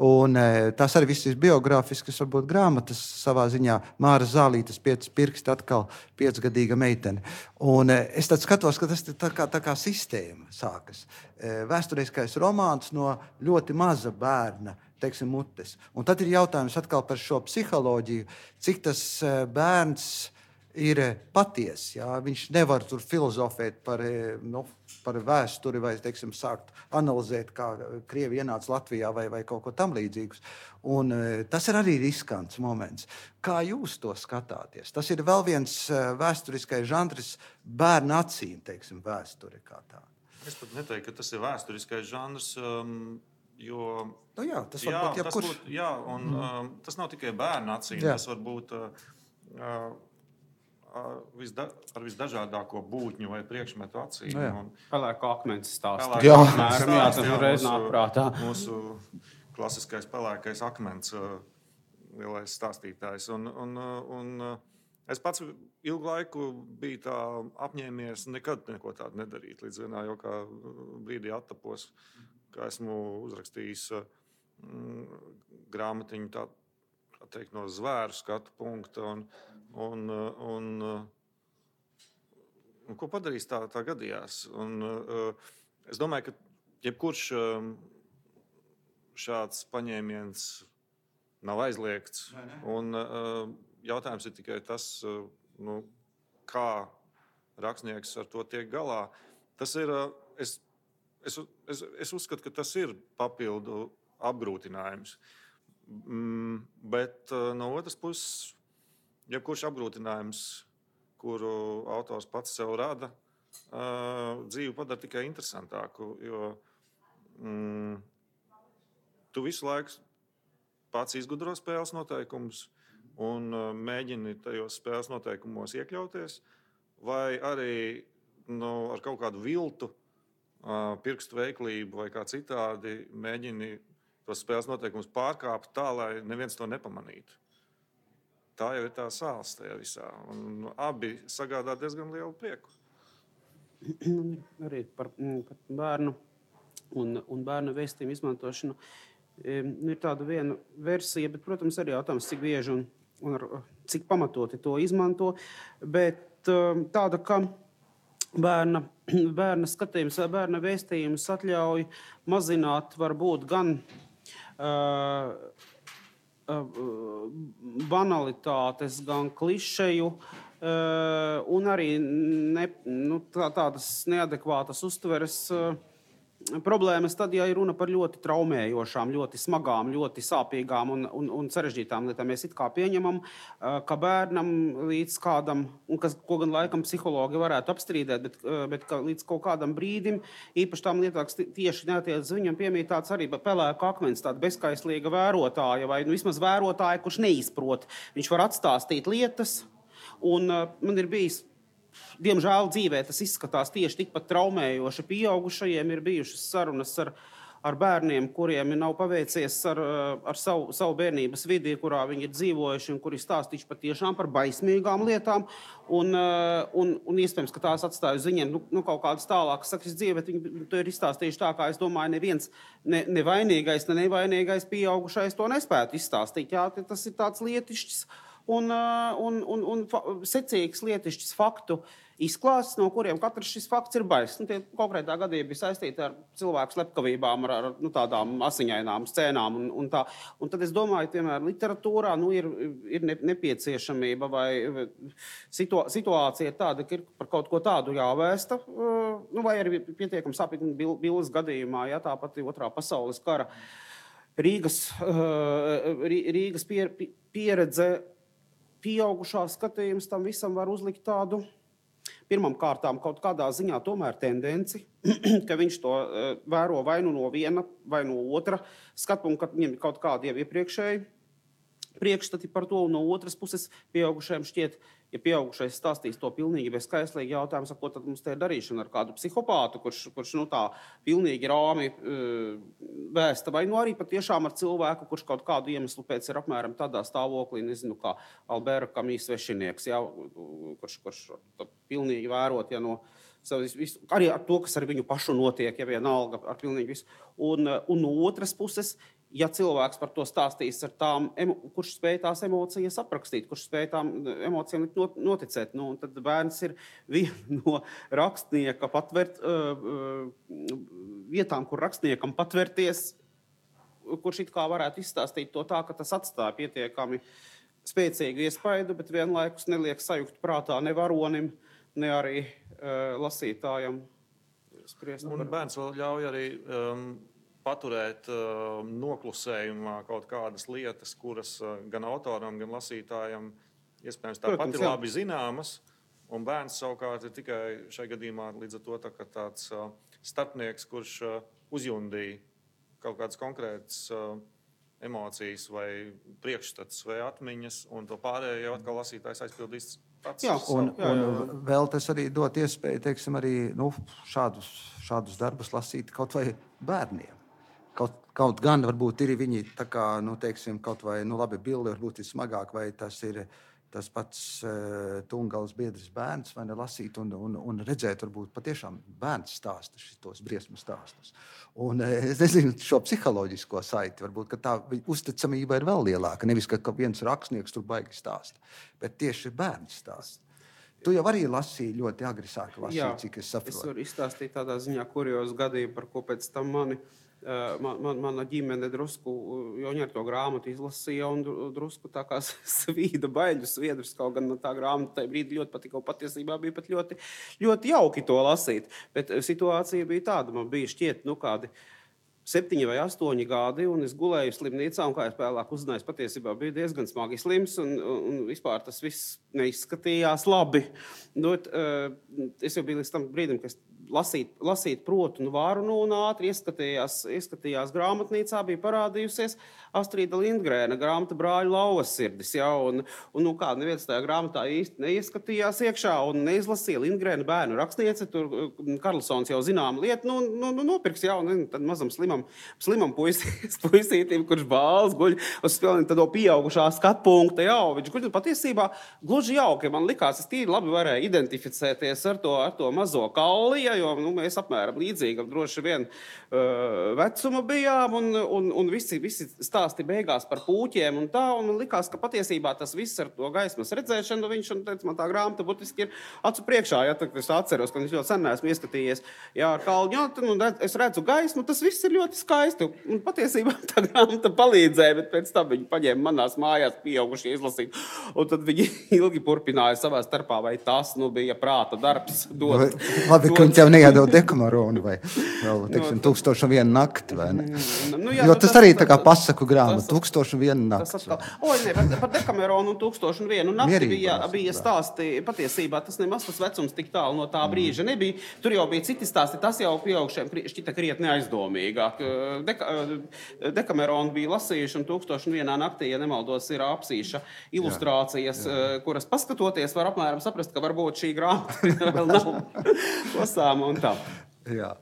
Un tās arī viss ir biogrāfiskas, varbūt grāmatas savā ziņā. Māra Zālītes pieci pirksti, atkal piecgadīga meitene. Un es tad skatos, ka tas tā kā, tā kā sistēma sākas. Vēsturiskais romāns no ļoti maza bērna, teiksim, mutes. Un tad ir jautājums atkal par šo psiholoģiju, cik tas bērns ir patiesi. Jā? Viņš nevar tur filozofēt par, nu, par vēsturi vai, teiksim, sākt analizēt, kā Krievi ienāca Latvijā vai, vai kaut ko tam līdzīgus. Un tas ir arī riskants moments. Kā jūs to skatāties? Tas ir vēl viens vēsturiskais žanrs bērnu acīm, teiksim, vēsture kā tā. Es pat neteiktu, ka tas ir vēsturiskais žanrs, um, jo... Nu jā, tas jā, var būt jebkurš. Tas, būt, jā, un mm. um, tas nav tikai bērnu acīm, jā. Tas var būt... Uh, uh, Visda, ar visdažādāko būtņu vai priekšmetu acīm. No pelēko akmens stāstu. Jā, Mēram, jā, tas reiz nāk prātā. Mūsu klasiskais pelēkais akmens lielais stāstītājs. Un, un, un es pats ilgu laiku biju tā apņēmies nekad neko tādu nedarīt. Līdz vienā jau kā brīdī attapos, ka esmu uzrakstījis mm, grāmatiņu tā, teikt, no zvēru skatu punkta. Un, un, un, un ko padarīs tā, tā gadījās? Un, es domāju, ka jebkurš šāds paņēmiens nav aizliegts. Un, jautājums ir tikai tas, nu, kā rakstnieks ar to tiek galā. Tas ir, es, es, es, es uzskatu, ka tas ir papildu apgrūtinājums. Mm, bet no otras puses, jebkurš apgrūtinājums, kuru autors pats sev rada, dzīvi padara tikai interesantāku, jo mm, tu visu laiku pats izgudro spēles noteikumus un mēģini tajos spēles noteikumos iekļauties, vai arī nu, ar kaut kādu viltu, pirkstu veiklību vai kā citādi mēģini tos spēles noteikumus pārkāpt tā, lai neviens to nepamanītu. Tā jau ir tā sāls tajā visā. Un abi sagādā diezgan lielu prieku. Arī par, par bērnu un, un bērnu vēstījumu izmantošanu. Ir tāda viena versija, bet, protams, arī jautājums, cik bieži un, un ar, cik pamatoti to izmanto. Bet tāda, ka bērna, bērna skatījums vai bērna vēstījums atļauj mazināt varbūt gan uh, uh, banalitātes, gan klišeju, uh, un arī ne, nu, tā, tādas neadekvātas uztveres uh, problēmas tad, ja ir runa par ļoti traumējošām, ļoti smagām, ļoti sāpīgām un, un, un sarežģītām lietām. Mēs it kā pieņemam, ka bērnam līdz kādam, un kas, ko gan laikam psihologi varētu apstrīdēt, bet, bet ka līdz kaut kādam brīdim, īpaši tām lietām, tieši neatiec viņam piemīt tāds arī pelēka akmens, tāda bezskaislīga vērotāja, vai nu, vismaz vērotāja, kurš neizprot. Viņš var atstāstīt lietas, un man ir bijis diemžēl dzīvē tas izskatās tieši tikpat traumējoši. Pieaugušajiem ir bijušas sarunas ar, ar bērniem, kuriem nav paveicies ar, ar savu, savu bērnības vidi, kurā viņi ir dzīvojuši un kuri stāstījuši patiešām par baismīgām lietām. Un, un, un iespējams, ka tās atstāja uz viņiem nu, nu, kaut kādas tālākas sakas dzīve, bet viņi to ir izstāstījuši tā, kā es domāju, neviens ne, nevainīgais, ne nevainīgais pieaugušais to nespētu izstāstīt. Jā, tas ir tāds lietišķis un, un, un, un secīgs lietišķis faktu izklāsts, no kuriem katrs šis fakts ir baiss. Nu, tie konkrētā gadījumā bija saistīti ar cilvēku slepkavībām, ar, ar nu, tādām asiņainām scēnām. Un, un, tā. Un tad es domāju, piemēram, literatūrā nu, ir, ir nepieciešamība vai situa situācija tāda, ka ir par kaut ko tādu jāvēsta, nu, vai arī pietiekami sāpīgi Billes gadījumā, ja tāpat otrā pasaules kara Rīgas, Rīgas pieredze, pieaugušā skatījums tam visam var uzlikt tādu pirmam kārtām kaut kādā ziņā tomēr tendenci, ka viņš to uh, vēro vai nu no viena, vai no otra skatpunkta, ka viņam ir kaut kādi jau iepriekšēji priekšstati par to, un no otras puses pieaugušajiem šķiet, ja pieaugušais stāstīs to pilnīgi bezskaislīgi jautājums, ko tad mums te ir darīšana ar kādu psihopātu, kurš, kurš nu tā pilnīgi rāmi uh, vēsta, vai nu arī patiešām ar cilvēku, kurš kaut kādu iemeslu pēc ir apmēram tādā stāvoklī, nezinu, kā Albēra Kamīs svešinieks, ja, kurš, kurš pilnīgi vērot, ja no visu, arī ar to, kas ar viņu pašu notiek, ja vienalga ar pilnīgi visu. Un, un no otras puses, ja cilvēks par to stāstīs ar tām, kurš spēj tās emocijas aprakstīt, kurš spēj tām emocijām noticēt, nu, tad bērns ir viena no rakstnieka patvert, uh, vietām, kur rakstniekam patvērties, kurš it kā varētu izstāstīt to tā, ka tas atstāja pietiekami spēcīgu iespaidu, bet vienlaikus neliek sajukt prātā ne varonim, ne arī uh, lasītājam spriest. Un bērns vēl ļauj arī um, paturēt uh, noklusējumā kaut kādas lietas, kuras uh, gan autoram, gan lasītājam iespējams tāpat ir labi zināmas. Un bērns savukārt ir tikai šai gadījumā līdz ar to tā, tāds uh, starpnieks, kurš uh, uzjundīja kaut kādas konkrētas uh, emocijas vai priekšstats vai atmiņas, un to pārējo jau atkal lasītājs aizpildīs. Jā, un, un vēl tas arī dot iespēju, teiksim, arī nu, šādus, šādus darbus lasīt kaut vai bērniem. Kaut, kaut gan varbūt ir viņi tā kā, nu, teiksim, kaut vai, nu, labi, bildi varbūt ir smagāk, vai tas ir, tas pats uh, Tungals biedrs bērns, vai ne, lasīt un, un, un redzēt, varbūt patiešām bērns stāsta šitos briesmu stāstus. Un es nezinu šo psiholoģisko saiti, varbūt, ka tā uzticamība ir vēl lielāka, nevis, ka, ka viens rakstnieks tur baigi stāsta, bet tieši bērns stāsta. Tu jau arī lasīji ļoti agri sāki lasīt, Jā, cik es saprotu. Es varu izstāstīt tādā ziņā kuriozu gadījumu, par ko pēc tam mani Man, man, mana ģimene drusku Joņa ar to grāmatu izlasīja un drusku tā kā svīda baļu sviedrus, kaut gan no tā grāmata tajā brīdī ļoti patika, un patiesībā bija pat ļoti, ļoti jauki to lasīt. Bet situācija bija tāda, man bija šķiet, nu kādi septiņi vai astoņi gadi, un es gulēju slimnīcā, un kā es vēlāk uzzināju, patiesībā bija diezgan smagi slims, un, un vispār tas viss neizskatījās labi. Dot, es jau biju līdz tam brīdim, ka es lasīt, lasīt protu un varu, nu, un ātri ieskatījās, ieskatījās grāmatnīcā, bija parādījusies Astrīda Lindgrēna grāmata Brāļu lauvas sirdis, ja, un, un nu, kā neviens tajā grāmatā īsti neieskatījās iekšā un neizlasīja Lindgrēna bērnu rakstniece, tur Karlsons jau zinām lietu, nu, nu, nu nopirks, ja, un tad mazam slimam, slimam puisīs, puisītim, kurš bāls guļ uz tādo pieaugušā skatpunkta, ja, viņš guļ patiesībā gluži jauki, man likās, es tīri labi varēju identificēties ar to, ar to mazo kauli, ja, jo nu, mēs apmēram līdzīgi droši vien uh, vecuma bijām, un, un, un visi, visi stāsti beigās par pūķiem un tā, un man likās, ka patiesībā tas viss ar to gaismas redzēšanu, viņš, un teica, man tā grāmata būtiski ir acu priekšā, ja, tad es atceros, ka es ļoti sen esmu ieskatījies, jā, ar kalņu, jā, tad, un es redzu gaismu, tas viss ir ļoti skaisti, un patiesībā tā grāmata palīdzēja, bet pēc tam viņi paņēma manās mājās pieaugušie izlasīt, un tad viņi ilgi turpināja savā starpā, vai tas, nu, bija prāta darbs dot. Labi, ka viņi tev neiedod Dekameronu vai vēl, teiksim, tūkstošu un vienu nakti, vai ne? Nu, jā, jo nu, tas, tas arī tā kā pasaku grāmata, tas, tūkstošu un vienu nakti. O, ne, par, par Dekameronu un tūkstošu un vienu nakti bija, bija stāsti, patiesībā tas nemaz tas vecums tik tālu no tā brīža nebija. Tur jau bija citi stāsti, tas jau pieaugšiem šķita krietni aizdomīgāk. Deka, Dekameronu bija lasījuši un tūkstošu un vienā naktī, ja nemaldos, ir apsīša ilustrācijas, jā, jā. Kuras paskatoties var apmēram saprast, ka varbūt šī grāmata vēl nav lasāma un tā. Jā.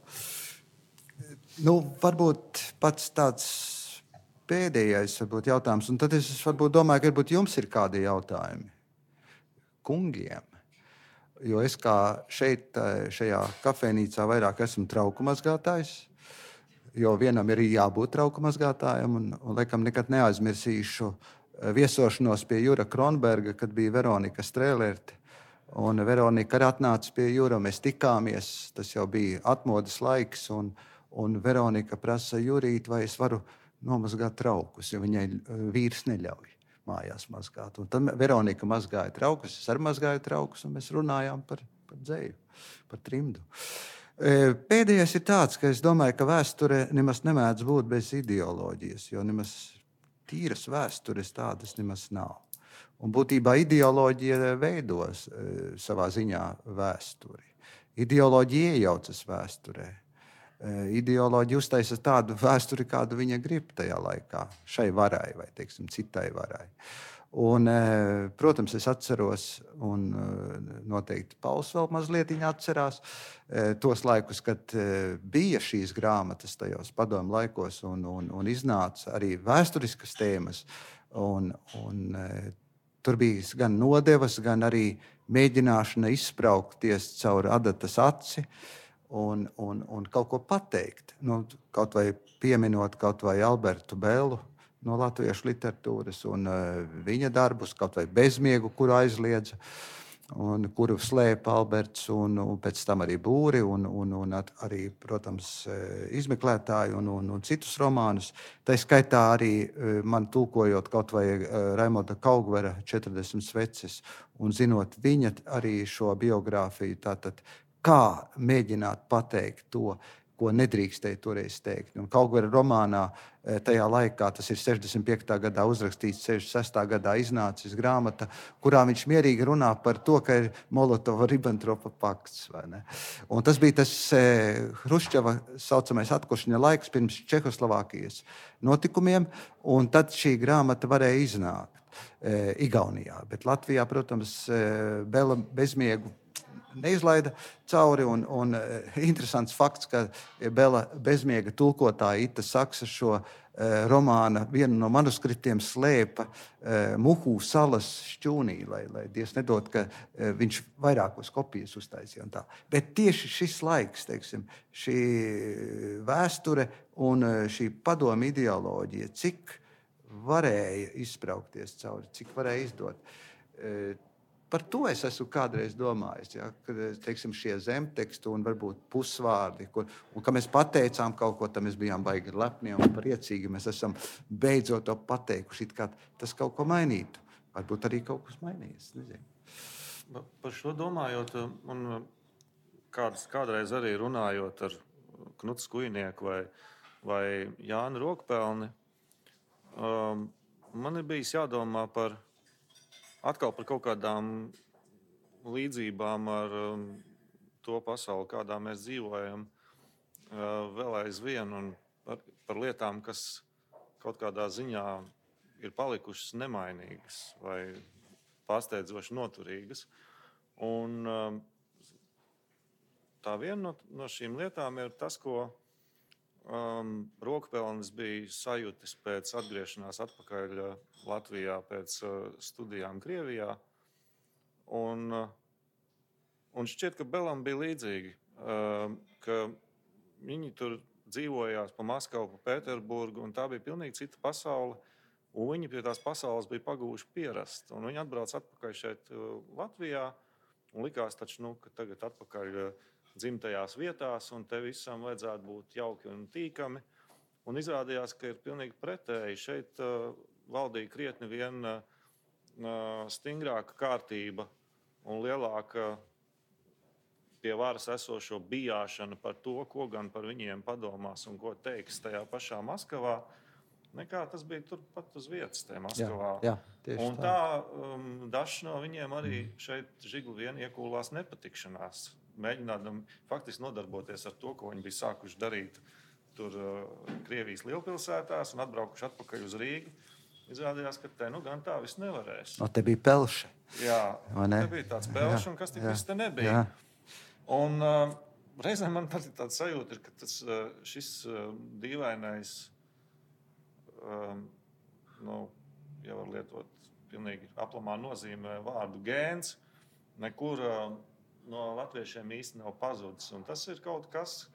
Nu, varbūt pats tāds pēdējais varbūt jautājums, un tad es varbūt domāju, ka varbūt jums ir kādi jautājumi kungiem, jo es kā šeit, šajā kafejnīcā vairāk esmu trauku mazgātājs, jo vienam ir jābūt trauku mazgātājam, un, un laikam nekad neaizmirsīšu viesošanos pie Jura Kronberga, kad bija Veronika Strēlerte. Un Veronika arī atnāca pie Jura, mēs tikāmies, tas jau bija atmodas laiks, un, un Veronika prasa Jurīt, vai es varu nomazgāt traukus, jo viņai vīrs neļauj mājās mazgāt. Un tad Veronika mazgāja traukus, es arī mazgāju traukus, un mēs runājām par, par dzēju, par trimdu. Pēdējais ir tāds, ka es domāju, ka vēsture nemaz nemēdz būt bez ideoloģijas, jo nemaz tīras vēstures tādas nemaz nav. Un būtībā ideoloģija veidos e, savā ziņā vēsturi. Ideoloģija iejaucas vēsturē. E, ideoloģija uztaisa tādu vēsturi, kādu viņa grib tajā laikā, šai varai vai, teiksim, citai varai. Un, e, protams, es atceros, un e, noteikti Pauls vēl mazlietiņā atcerās, e, tos laikus, kad e, bija šīs grāmatas tajos padomu laikos un, un, un iznāca arī vēsturiskas tēmas. Un, un, e, Tur bija gan nodevas, gan arī mēģināšana izspraukties caur adatas aci un, un, un kaut ko pateikt. Nu, kaut vai pieminot kaut vai Albertu Belu no latviešu literatūras un uh, viņa darbus, kaut vai Bezmiegu, kuru aizliedza, un kuru slēpa Alberts, un, un pēc tam arī Būri, un, un, un arī, protams, izmeklētāji un, un, un citus romānus. Tā skaitā arī man tulkojot kaut vai Raimonda Kaugvera četrdesmit sveces, un zinot viņa arī šo biogrāfiju, tātad kā mēģināt pateikt to, ko nedrīkstēja toreiz teikt. Un Kaugvera romānā tajā laikā, tas ir sešdesmit piektā gadā uzrakstīts, sešdesmit sestā gadā iznācis grāmata, kurā viņš mierīgi runā par to, ka ir Molotova-Ribbentropa pakts. Vai ne? Un tas bija tas Hruščova saucamais atkošņa laiks pirms Čehoslovākijas notikumiem, un tad šī grāmata varēja iznākt e, Igaunijā. Bet Latvijā, protams, Bela Bezmiegu neizlaida cauri. Un, un interesants fakts, ka Bela bezmiega tulkotāja Ita Saksa šo romāna vienu no manuskriptiem slēpa Muhu salas šķūnī, lai, lai Dievs nedod, ka viņš vairākos kopijas uztaisīja. Un tā. Bet tieši šis laiks, teiksim, šī vēsture un šī padomu ideoloģija, cik varēja izspraukties cauri, cik varēja izdot. Par to es esmu kādreiz domājis, ja, ka teiksim, šie zemteksti un varbūt pusvārdi, kur, un ka mēs pateicām kaut ko, tad mēs bijām baigi lepni un priecīgi. Mēs esam beidzot to pateikuši, it kā tas kaut ko mainītu. Varbūt arī kaut kas mainījies. Nezinu. Par šo domājot, un kāds, kādreiz arī runājot ar Knuts Kujnieku vai, vai Jānu Rokpelni, um, man ir bijis jādomā par atkal par kaut kādām līdzībām ar um, to pasauli, kādā mēs dzīvojam, uh, vēl aizvien, un par, par lietām, kas kaut kādā ziņā ir palikušas nemainīgas vai pārsteidzoši noturīgas. Un um, tā viena no, no šīm lietām ir tas, ko um, Rokpelnis bija sajūtis pēc atgriešanās atpakaļ Latvijā pēc uh, studijām Krievijā. Un, uh, un šķiet, ka Belam bija līdzīgi, uh, ka viņi tur dzīvojās pa Maskavu, pa Pēterburgu, un tā bija pilnīgi cita pasaule. Un viņi pie tās pasaules bija pagūši pierast. Un viņi atbrauc atpakaļ šeit uh, Latvijā, un likās taču, nu, ka tagad atpakaļ uh, dzimtajās vietās, un te visam vajadzētu būt jauki un tīkami. Un izrādījās, ka ir pilnīgi pretēji. Šeit uh, valdīja krietni vien uh, stingrāka kārtība un lielāka pie varas esošo bijāšana par to, ko gan par viņiem padomās un ko teiks tajā pašā Maskavā, nekā tas bija turpat uz vietas tajā Maskavā. Jā, jā, un tā, tā um, dažs no viņiem arī šeit žigli vien iekūlās nepatikšanās, mēģinādam faktiski nodarboties ar to, ko viņi bija sākuši darīt tur uh, Krievijas lielpilsētās un atbraukuši atpakaļ uz Rīgu. Izrādījās, ka te nu gan tā viss nevarēs. No, te bija pelši. Jā, te bija tāds pelši, un kas tik viss te nebija. Jā. Un uh, reizēm man tā, tāds sajūta ir, ka tas, uh, šis uh, dīvainais, um, nu, ja var lietot pilnīgi aplamā nozīmē vārdu gēns, nekur uh, no latviešiem īsti nav pazudis. Un tas ir kaut kas,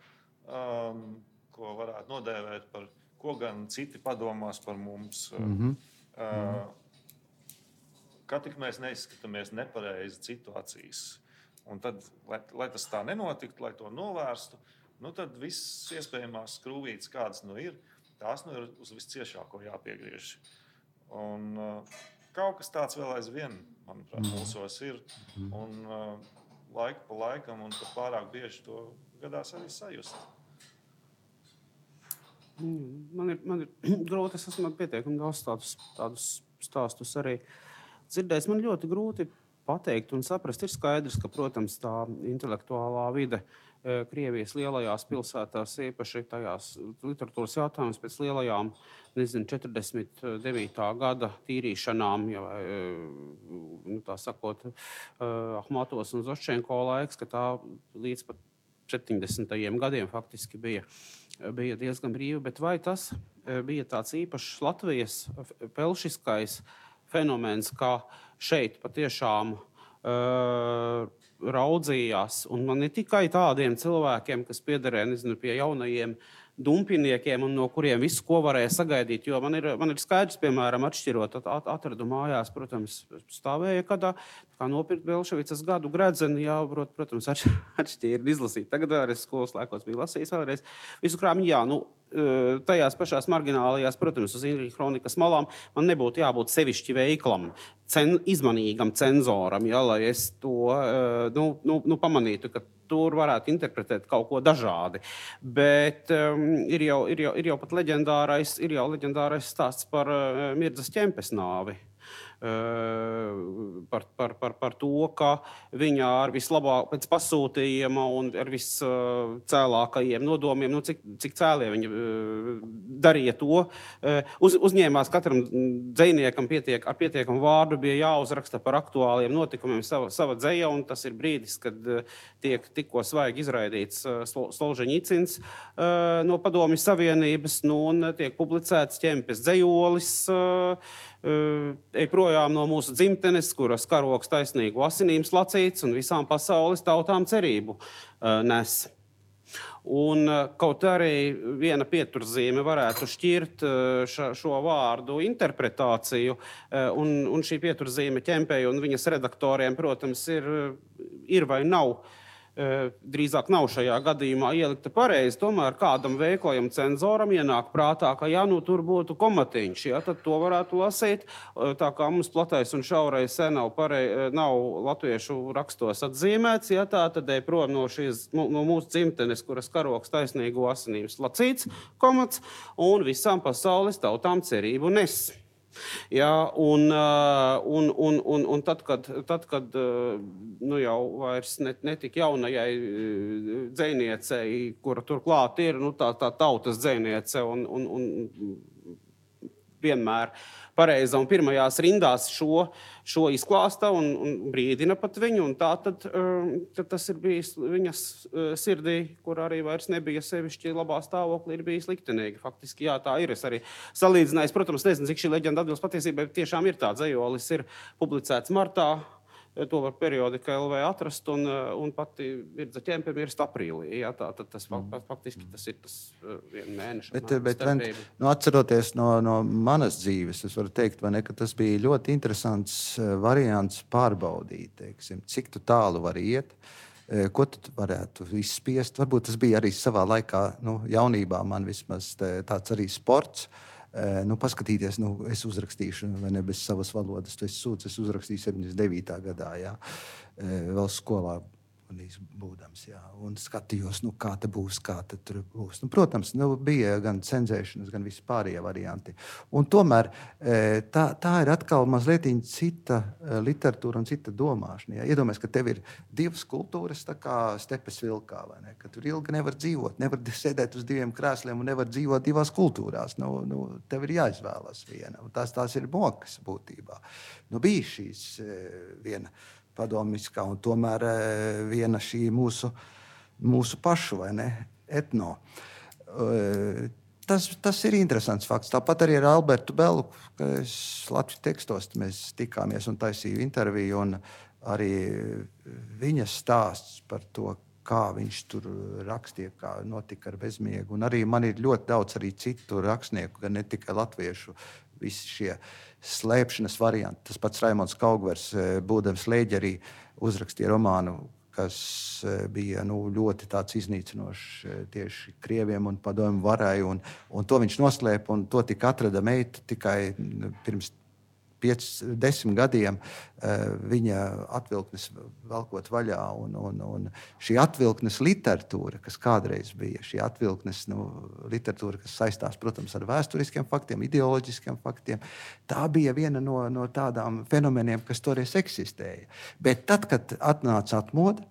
um, ko varētu nodēvēt par ko gan citi padomās par mums. Mm-hmm. Uh, kā tik mēs neizskatāmies nepareizi citu acīs. Un tad, lai, lai tas tā nenotiktu, lai to novērstu, nu tad viss iespējamās skrūvītes, kādas nu ir, tās nu ir uz visciešāko jāpiegriež. Un uh, kaut kas tāds vēl aizvien, manuprāt, mūsos ir. Un uh, laiku pa laikam un pat pārāk bieži to gadās arī sajust. Man ir, man ir grūti, es esmu pietiekami daudz tādus, tādus stāstus arī dzirdējis. Man ļoti grūti pateikt un saprast. Ir skaidrs, ka, protams, tā intelektuālā vide Krievijas lielajās pilsētās, īpaši tajās literatūras jautājumus pēc lielajām, nezinu, četrdesmit devītā gada tīrīšanām, ja, nu, tā sakot, Ahmatovas un Zoščenko laiks, ka tā līdz pat septiņdesmitajiem gadiem faktiski bija, bija diezgan brīva, bet vai tas bija tāds īpašs Latvijas pelšiskais fenomens, kā šeit patiešām uh, raudzījās, un man ne tikai tādiem cilvēkiem, kas piederē, nezinu, pie jaunajiem dumpiniekiem un no kuriem visu, ko varēja sagaidīt, jo man ir, man ir skaidrs, piemēram, atšķirot at, atradu mājās, protams, stāvēja kādā, kā nopirkt Belševicas gadu gredzeni, jābrot, protams, atšķīri izlasīt. Tagad vēlreiz skolas laikos bija lasījis vēlreiz visu krāmiņu, jā, nu, tajās pašās marginālajās, protams, uz Inrija kronikas malām man nebūtu jābūt sevišķi veiklam, cen, izmanīgam cenzoram, ja, lai es to, nu, nu, nu pamanītu, ka tur varētu interpretēt kaut ko dažādi. Bet um, ir, jau, ir, jau, ir jau pat leģendārais, ir jau leģendārais stāsts par uh, Mirdzas Ķempes nāvi. par, par, par, par to, ka viņa ar vislabāk pēc pasūtījuma un ar viscēlākajiem nodomiem, nu, cik, cik cēlie viņa darīja to, uz, uzņēmās katram dzejniekam pietiek, ar pietiekamu vārdu bija jāuzraksta par aktuāliem notikumiem sava, sava dzeja, un tas ir brīdis, kad tiek tikko svaigi izraidīts Solžeņicins no Padomju Savienības, nu, un tiek publicēts Ķempes dzejolis, ej projām no mūsu dzimtenes, kuras karoks taisnīgu asinīm slacīts un visām pasaules tautām cerību nes. Un kaut arī viena pieturzīme varētu šķirt ša, šo vārdu interpretāciju, un, un šī pieturzīme Ķempei un viņas redaktoriem, protams, ir, ir vai nav, drīzāk nav šajā gadījumā ielikta pareizi, tomēr kādam veiklajam cenzoram ienāk prātā, ka ja nu tur būtu komatiņš, ja, tad to varētu lasīt, tā kā mums platais un šaurais nav, parei, nav latviešu rakstos atzīmēts, ja, tā tad ej prom no, šīs, no mūsu dzimtenes, kuras karoks taisnīgu asinīm slacīts, komats, un visām pasaules tautām cerību nes. Jā, un, un, un, un, un tad, kad, tad, kad nu jau vairs net, netik jaunajai dzejniecei, kura turklāt ir, nu, tā, tā tautas dzejniece un, un, un vienmēr pareiza un pirmajās rindās šo, šo izklāsta un, un brīdina pat viņu, un tā tad, tad tas ir bijis viņas sirdī, kur arī vairs nebija sevišķi labā stāvoklī, ir bijis liktenīgi. Faktiski, jā, tā ir. Es arī salīdzinājis, protams, nezinu, cik šī leģenda atbilst patiesībai, bet tiešām ir tā dzejolis, ir publicēts martā, to var periodika L V atrast, un, un pati Virdza Ķempe mirst aprīlī. Jā, tā, tad tas mm. faktiski tas ir tas viena mēneša. Bet, bet nu, atceroties no, no manas dzīves, es varu teikt, vai ne, ka tas bija ļoti interesants variants pārbaudīt, teiksim, cik tu tālu vari iet, ko tu varētu izspiest. Varbūt tas bija arī savā laikā, nu, jaunībā man vismaz tāds arī sports. Nu, paskatīties, nu, es uzrakstīšu, vai ne, bez savas valodas, tu esi sūds, es uzrakstīju septiņdesmit devītā gadā, jā, vēl skolā būdams, jā, un skatījos, nu, kā te būs, kā te tur būs. Nu, protams, nu, bija gan cenzēšanas, gan visi pārējie varianti. Un tomēr tā, tā ir atkal mazliet cita literatūra un cita domāšana. Jā. Iedomājies, ka tev ir divas kultūras, tā kā stepes vilkā, vai ne? Ka tur ilgi nevar dzīvot, nevar sēdēt uz diviem krēsliem un nevar dzīvot divās kultūrās. Nu, nu, tev ir jāizvēlas viena, un tās, tās ir mokas būtībā. Nu, bija šīs viena padomiskā, un tomēr viena šī mūsu, mūsu pašu, vai ne, etno. Tas, tas ir interesants fakts. Tāpat arī ar Albertu Belu, ka es Latvijas tekstos mēs tikāmies un taisīju interviju, un arī viņas stāsts par to, kā viņš tur rakstīja, kā notika ar bezmiegu. Un arī man ir ļoti daudz arī citu rakstnieku, gan ne tikai latviešu, visi šie slēpšanas varianti. Tas pats Raimonds Kaugvers, būdams Lēģerī, uzrakstīja romānu, kas bija nu, ļoti tāds iznīcinošs tieši krieviem un padomju varai, un, un to viņš noslēpa, un to tika atrada meita tikai pirms pieci, desmit gadiem viņa atvilknes velkot vaļā, un, un, un šī atvilknes literatūra, kas kādreiz bija, šī atvilknes nu, literatūra, kas saistās, protams, ar vēsturiskiem faktiem, ideoloģiskiem faktiem, tā bija viena no, no tādām fenomeniem, kas toreiz eksistēja. Bet tad, kad atnāca atmoda,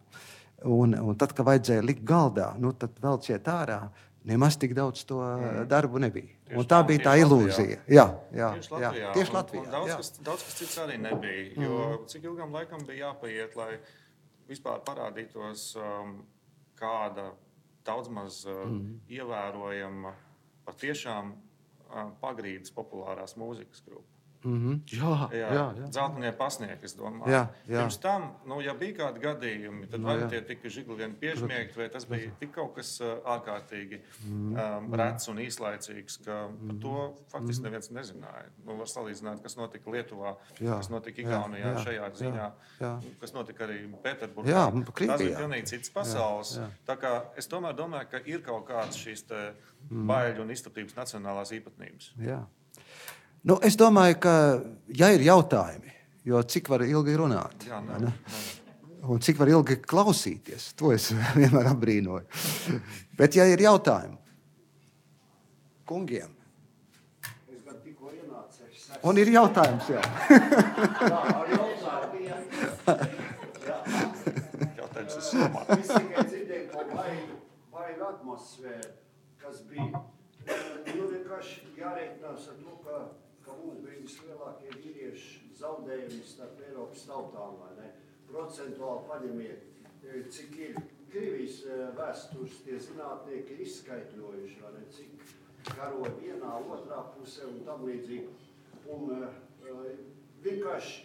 un, un tad, kad vajadzēja likt galdā, nu, tad vēl ciet ārā, nemaz tik daudz to mm. darbu nebija. Tieši un tā bija tā ilūzija. Jā, jā, tieši Latvijā. Jā, tieši Latvijā. Un, un daudz, kas, daudz kas cits arī nebija. Jo mm. cik ilgam laikam bija jāpaiet, lai vispār parādītos um, kāda daudz maz uh, mm. ievērojama patiešām uh, pagrīdes populārās mūzikas grupa. Mm-hmm. Jā, jā, jā, jā. Dzeltenie pasniegi, es domāju. Jā, jā. Pirms tam, nu, ja bija kādi gadījumi, tad no, vai tie tika žigulien piežmiegti, vai tas bija tik kaut kas uh, ārkārtīgi um, rets un īslaicīgs, ka par to faktiski neviens nezināja. Nu, var salīdzināt, kas notika Lietuvā, jā, kas notika Igaunijā, jā, šajā ziņā, jā, jā. Kas notika arī Pēterburgā. Jā, tas bija pilnīgi cits pasaules. Jā, jā. Tā kā es tomēr domāju, ka ir kaut kāds šīs te baiļu un izstatības nacionālās īpatnības. Jā. Nu, es domāju, ka, ja ir jautājumi, jo cik var ilgi runāt, jā, nē, nē. Un cik var ilgi klausīties, to es vienmēr apbrīnoju. Bet, ja ir jautājumi kungiem, es gan kad tikko ienācēs. Un ir jautājums, jā. Jā, ar jautājumu. Jā. Jautājums ir somā. Es tikai dzirdēju, ka vajag, vajag atmosfēru, kas bija. Nu, vienkārši jāreikinās ar to, ka, ka mums bija vislielākie vīrieši zaudējumi starp Eiropas tautām, vai ne? Procentuāli paņemiet, cik ir Krievijas vēstures tie zinātnieki ir izskaitļojuši, vai ne? Cik karoja vienā, otrā pusē un tam līdzīgi. Un uh, vienkārši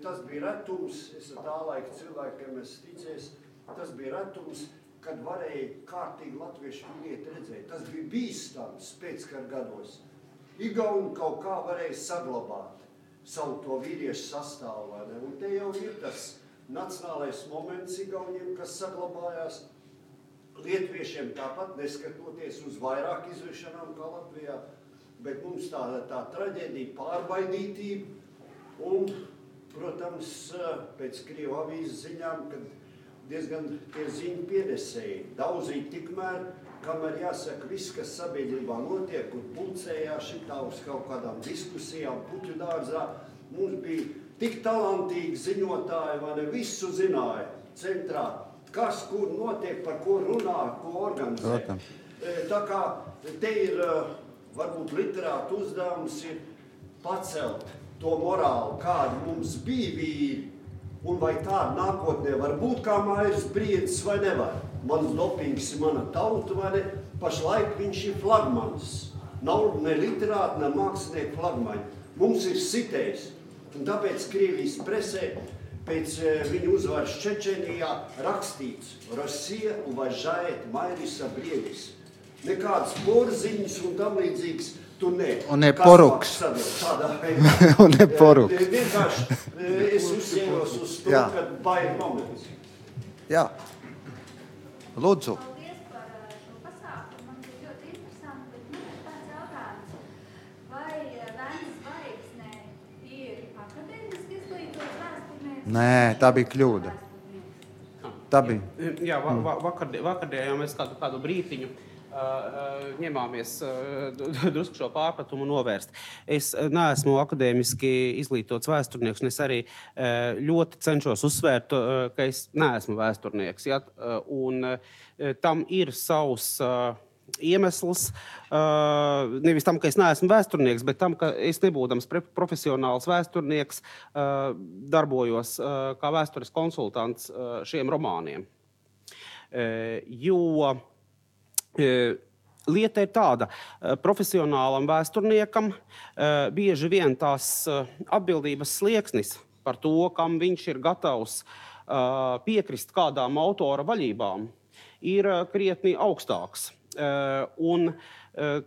tas bija retums, es ar tā laika cilvēkiem es ticēs, tas bija retums, kad varēja kārtīgi latviešu vīrieti redzēt. Tas bija bīstams pēckara gados. Igauni kaut kā varēja saglabāt savu to vīriešu sastāvu, vai ne? Un te jau ir tas nacionālais moments Igauniem, kas saglabājās. Lietviešiem tāpat, neskatoties uz vairāk izvešanām kā Latvijā, bet mums tā, tā traģēdija, pārbaidītība un, protams, pēc Krievu avīzes ziņām, kad diezgan tie ziņu pienesēji daudzīja tikmēr, kamēr jāsaka viss, kas sabiedrībā notiek un pulcējās šitā uz kaut kādām diskusijām, puķu dārzā, mums bija tik talantīgi ziņotāji, vai ne, visu zināja centrā. Kas, kur notiek, par ko runā, ko organizē. Protams. Tā kā te ir, varbūt literāta uzdevums ir pacelt to morālu, kāda mums bija vīri, un vai tāda nākotnē var būt kā Mairis Briedis vai nevar. Mans dopings ir mana tauta, vai ne? Pašlaik viņš ir flagmanis. Nav ne literāta, ne mākslinieku flagmaņi. Mums ir sitējs. Un tāpēc Krievijas presē pēc viņa uzvaras Čečenijā rakstīts Rusija uvažает Mairisa Briedis. Nekādas porziņas un tam līdzīgas tu ne. Un ne poruks. Un ne poruks. Vienkārši es uzsēros uz to, kad baigi moments. Jā. Lūdzu. Paldies par šo pasākumu. Man bija ļoti interesanti, bet man ir tāds jautājums. Vai Vēnes zvaigznē ir akadēmiski izglītots vēsturnieks? Nē, tā bija kļūda. Tā bija. Jā, va, va, vakardien, vakardien mēs kādu, kādu brītiņu uh, uh, ņemāmies uh, drusku šo pārpratumu novērst. Es neesmu akadēmiski izglītots vēsturnieks, un es arī uh, ļoti cenšos uzsvērt, uh, ka es neesmu vēsturnieks. Ja? Uh, un uh, tam ir savs uh, iemesls, uh, nevis tam, ka es neesmu vēsturnieks, bet tam, ka es nebūdams profesionāls vēsturnieks, uh, darbojos uh, kā vēstures konsultants uh, šiem romāniem. Uh, jo uh, lieta ir tāda, uh, profesionālam vēsturniekam uh, bieži vien tās uh, atbildības slieksnis par to, kam viņš ir gatavs uh, piekrist kādām autora vaļībām, ir uh, krietni augstāks. Uh, un uh,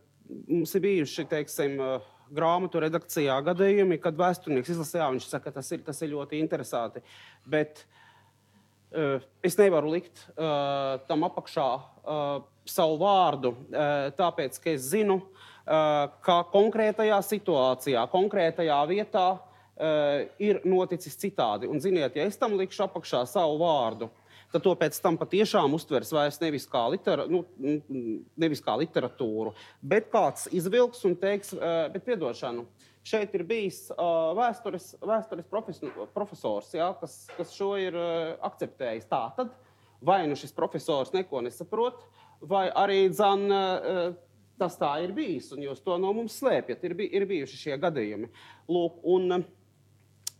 mums ir bijuši, teiksim, uh, grāmatu redakcijā gadījumi, kad vēsturnieks izlasījā, viņš saka, tas ir, tas ir ļoti interesanti, bet uh, es nevaru likt uh, tam apakšā uh, savu vārdu, uh, tāpēc, ka es zinu, uh, ka konkrētajā situācijā, konkrētajā vietā uh, ir noticis citādi. Un ziniet, ja es tam likšu apakšā savu vārdu, tad to pēc tam patiešām uztvers vairs nevis kā, litera, nu, nevis kā literatūru, bet kāds izvilks un teiks, bet piedošanu, šeit ir bijis vēstures, vēstures profesors, ja, kas, kas šo ir akceptējis. Tā tad vai nu šis profesors neko nesaprot, vai arī dzan, tas tā ir bijis, un jūs to no mums slēpjat, ir, bij, ir bijuši šie gadījumi. Lūk, un...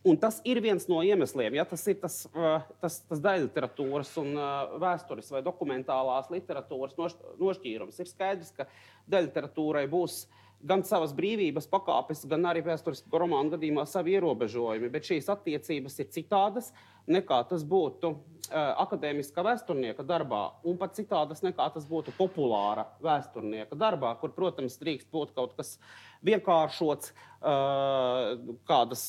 Un tas ir viens no iemesliem, ja tas ir tas, tas, tas daļliteratūras un vēstures vai dokumentālās literatūras nošķīrums. Ir skaidrs, ka daļliteratūrai būs gan savas brīvības pakāpes, gan arī vēstures romānu gadījumā savi ierobežojumi, bet šīs attiecības ir citādas nekā tas būtu akadēmiska vēsturnieka darbā, un pat citādas nekā tas būtu populāra vēsturnieka darbā, kur, protams, drīkst būt kaut kas vienkāršots, kādas,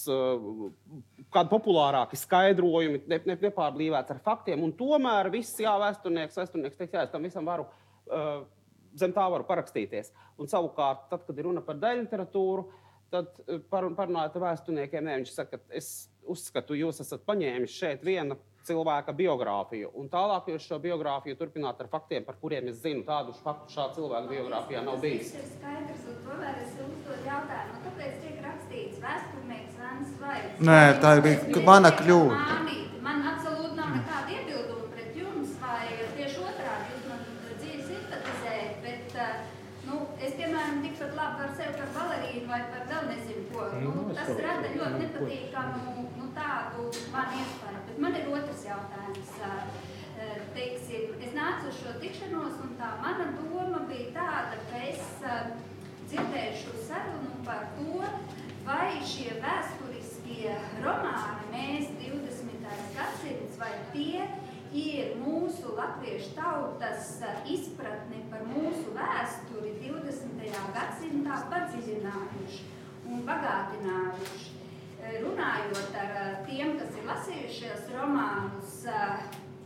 kādi populārāki skaidrojumi, ne, ne, nepārblīvēts ar faktiem, un tomēr viss, jā, vēsturnieks, vēsturnieks teiks, jā, es tam visam varu, zem tā varu parakstīties. Un savukārt, tad, kad ir runa par daļliteratūru, tad par, parunājot ar vēsturniekiem, ne, viņš saka, es uzskatu, jūs esat paņēmis šeit viena cilvēka biogrāfiju, un tālāk jūs šo biogrāfiju turpināt ar faktiem, par kuriem es zinu, tādu faktu šā cilvēka biogrāfijā nav bijis. Tas ir skaidrs, un tomēr es uzdod jautājumu. Nē, tā bija mana kļūda. Mānīti, man absolūti nav nekāda iebilduma pret jums, vai tieši otrādi jūs man dzīvi simpatizējat, bet, nu, es, piemēram, tikpat labi par sevi par balerīnu vai par vēl nezinu ko. Nu, tas rada ļoti nepatīkamu, nu, tādu man iespēju. Bet man ir otrs jautājums. Teiksim, es nācu uz šo tikšanos, un tā mana doma bija tāda, ka es dzirdēšu sarunu par to, vai šie vēsturiskie romāni Mēs divdesmitais gadsimts, vai tie ir mūsu latviešu tautas izpratni par mūsu vēsturi divdesmitajā gadsimtā padziļinājuši un bagātinājuši. Runājot ar tiem, kas ir lasījušies romānus,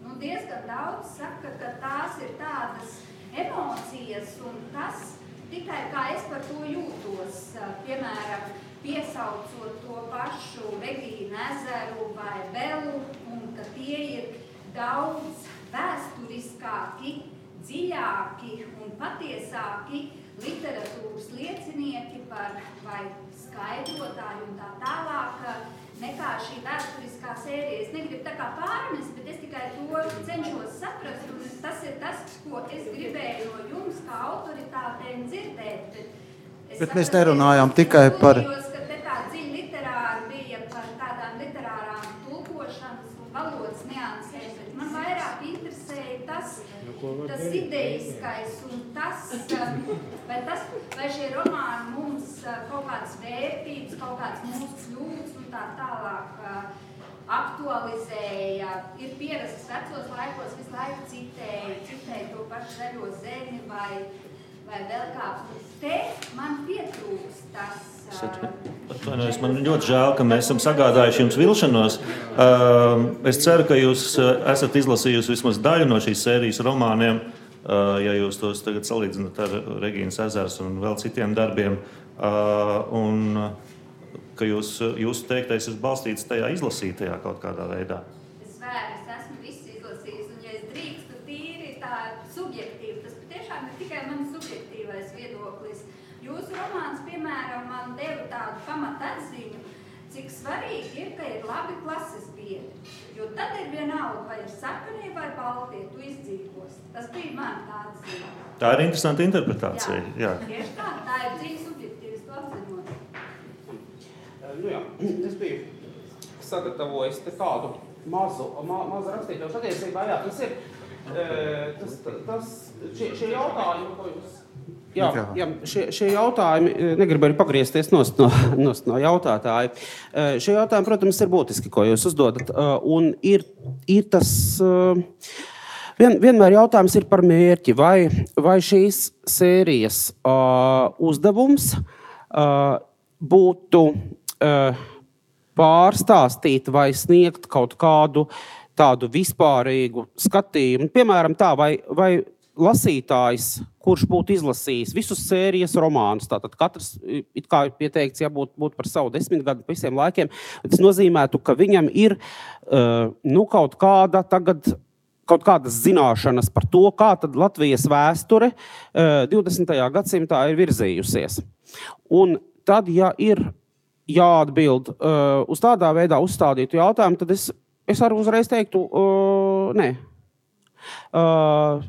nu, diezgan daudz saka, ka tās ir tādas emocijas un tas tikai kā es par to jūtos, piemēram, piesaucot to pašu Regīnu ezeru vai Belu, un ka tie ir daudz vēsturiskāki, dziļāki un patiesāki literatūras liecinieki par vai skaidrotāju un tā tālāk, nekā šī vēsturiskā sērija. Es negribu tā kā pārmest, bet es tikai to cenšos saprast, un tas ir tas, ko es gribēju no jums kā autoritātēm dzirdēt. Bet, bet mēs nerunājām tikai par... Es ka te tā dziļi literāri bija par tādām literārām tulkošanas un valodas niansēm, bet man vairāk interesēja tas, tas ideiskais un tas, vai, tas, vai šie romāni mums kaut kādas vērtības, kaut kādas mūsu kļūdas un tā tālāk aktualizēja. Ir pierasts vecos laikos, visu laiku citēja, citēja to pašu zaļo zemi vai, vai vēl kāds. Te man pietrūkst tas. Atvainojos, man ļoti žēl, ka mēs esam sagādājuši jums vilšanos. Es ceru, ka jūs esat izlasījusi vismaz daļu no šīs sērijas romāniem, ja jūs tos tagad salīdzināt ar Regīnas ezers un vēl citiem darbiem. Un ka jūs, jūsu teiktais ir balstīts tajā izlasītajā kaut kādā veidā. Es vēru, es esmu visu izlasījis, un ja es drīkstu tīri tā subjektīvi, tas patiešām ir tikai man subjektīvais viedoklis. Jūsu romāns, piemēram, man deva tādu pamatatziņu, cik svarīgi ir, ka ir labi klases biedri. Jo tad ir vienalga, vai ir sarkanie vai baltie, tu izdzīvos. Tas bija man tāds ziņa. Tā ir interesanta interpretācija. Jā, jā. Tieši tā, tā ir dzīves subjektīvas to apziņot. Nu jā, es biju sagatavojis te kādu mazu, ma, mazu rakstīto. Patiesībā, jā, tas ir, tas, tas, šie, šie jautājumi, ko jūs... Jā, jā šie, šie jautājumi, negribu arī pagriezties nost no, nost no jautātāja. Šie jautājumi, protams, ir būtiski, ko jūs uzdodat. Un ir, ir tas, vien, vienmēr jautājums ir par mērķi, vai, vai šīs sērijas uh, uzdevums uh, būtu uh, pārstāstīt vai sniegt kaut kādu tādu vispārīgu skatījumu. Piemēram tā, vai, vai lasītājs, kurš būtu izlasījis visus sērijas romānus, tātad katrs, it kā ir pieteikts, ja būtu būt par savu desmitgadu visiem laikiem, tas nozīmētu, ka viņam ir uh, nu, kaut kāda tagad, kaut kādas zināšanas par to, kā tad Latvijas vēsture uh, divdesmitajā gadsimtā ir virzījusies. Un tad, ja ir jāatbild uh, uz tādā veidā uzstādītu jautājumu, tad es, es arī uzreiz teiktu, uh, nē. Uh,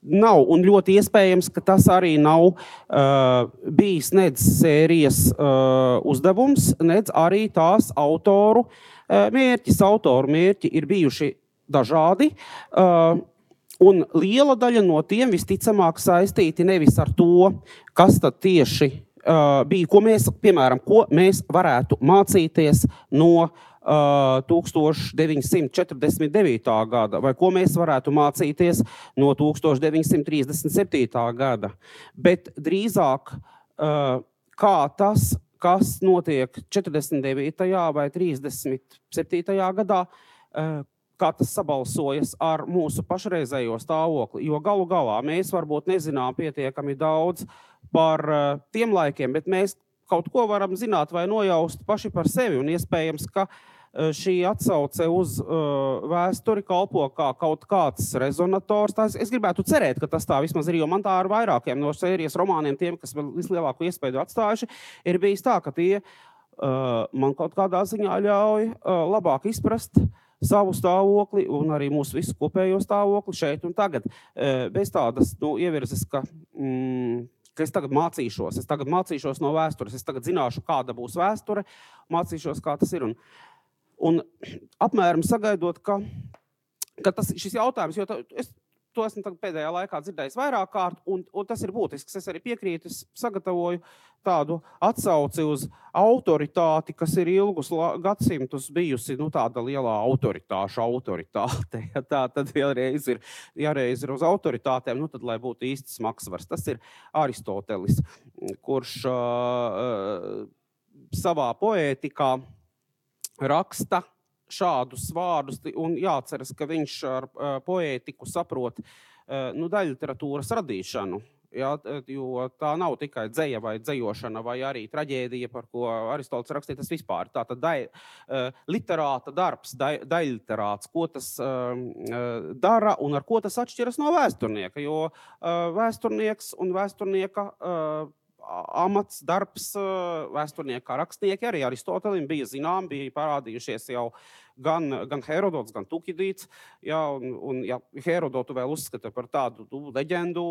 nav, un ļoti iespējams, ka tas arī nav uh, bijis nedz sērijas uh, uzdevums, nedz arī tās autoru uh, mērķis. Autoru mērķi ir bijuši dažādi, uh, un liela daļa no tiem visticamāk saistīti nevis ar to, kas tad tieši uh, bija, ko mēs, piemēram, ko mēs varētu mācīties no Uh, tūkstoš deviņsimt četrdesmit devītā gada, vai ko mēs varētu mācīties no tūkstoš deviņsimt trīsdesmit septītā gada. Bet drīzāk, uh, kā tas, kas notiek četrdesmit devītajā vai trīsdesmit septītajā gadā, uh, kā tas sabalsojas ar mūsu pašreizējo stāvokli. Jo galu galā mēs varbūt nezinām pietiekami daudz par uh, tiem laikiem, bet mēs kaut ko varam zināt vai nojaust paši par sevi, un iespējams, ka šī atsauce uz uh, vēsturi kalpo kā kaut kāds rezonators. Tās, es gribētu cerēt, ka tas tā vismaz ir, jo man tā ar vairākiem no sērijas romāniem, tiem, kas vēl vislielāko iespēju atstājuši, ir bijis tā, ka tie man kaut kādā ziņā ļauj labāk izprast savu stāvokli un arī mūsu visu kopējo stāvokli šeit un tagad. Bez tādas nu, ievirzes, ka, mm, ka es tagad mācīšos, es tagad mācīšos no vēstures, es tagad zināšu, kāda būs vēsture, mācīšos, kā tas ir. Un, un apmēram sagaidot, ka, ka tas, šis jautājums, jo tā, es to esmu pēdējā laikā dzirdējis vairāk kārt, un, un tas ir būtisks. Es arī piekrītu, es sagatavoju tādu atsauci uz autoritāti, kas ir ilgus gadsimtus bijusi nu, tāda lielā autoritāša autoritāte. Ja tā tad vēlreiz ir, jāreiz ir uz autoritātēm, nu tad, lai būtu īsts maksvars. Tas ir Aristotelis, kurš uh, savā poētikā raksta šādus vārdus, un jāatceras, ka viņš ar uh, poētiku saprot uh, nu, daļliteratūras radīšanu, jā, jo tā nav tikai dzeja vai dzejošana, vai arī traģēdija, par ko Aristotelis rakstīja, tas vispār. Tātad dai, uh, literāta darbs, dai, daļliterāts, ko tas uh, dara un ar ko tas atšķiras no vēsturnieka, jo uh, vēsturnieks un vēsturnieka uh, amats, darbs, vēsturnieka rakstnieki arī Aristotelim bija zinām, bija parādījušies jau gan, gan Herodots, gan Tukidīds. Ja, un, un ja Herodotu vēl uzskata par tādu tu, leģendu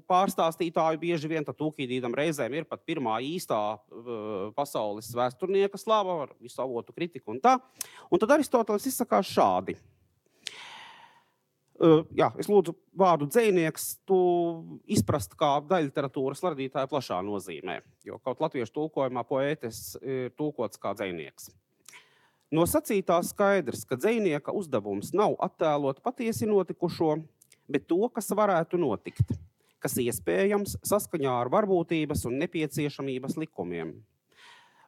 pārstāstītāju bieži vien, tad Tukidīdam reizēm ir pat pirmā īstā uh, pasaules vēsturnieka slava ar visu avotu kritiku un tā. Un tad Aristotelis izsakās šādi. Uh, jā, es lūdzu vārdu dzejnieks tu izprast kā daļliteratūras radītāja plašā nozīmē, jo kaut latviešu tulkojumā poētis ir tulkots kā dzejnieks. No sacītā skaidrs, ka dzejnieka uzdevums nav attēlot patiesi notikušo, bet to, kas varētu notikt, kas iespējams saskaņā ar varbūtības un nepieciešamības likumiem.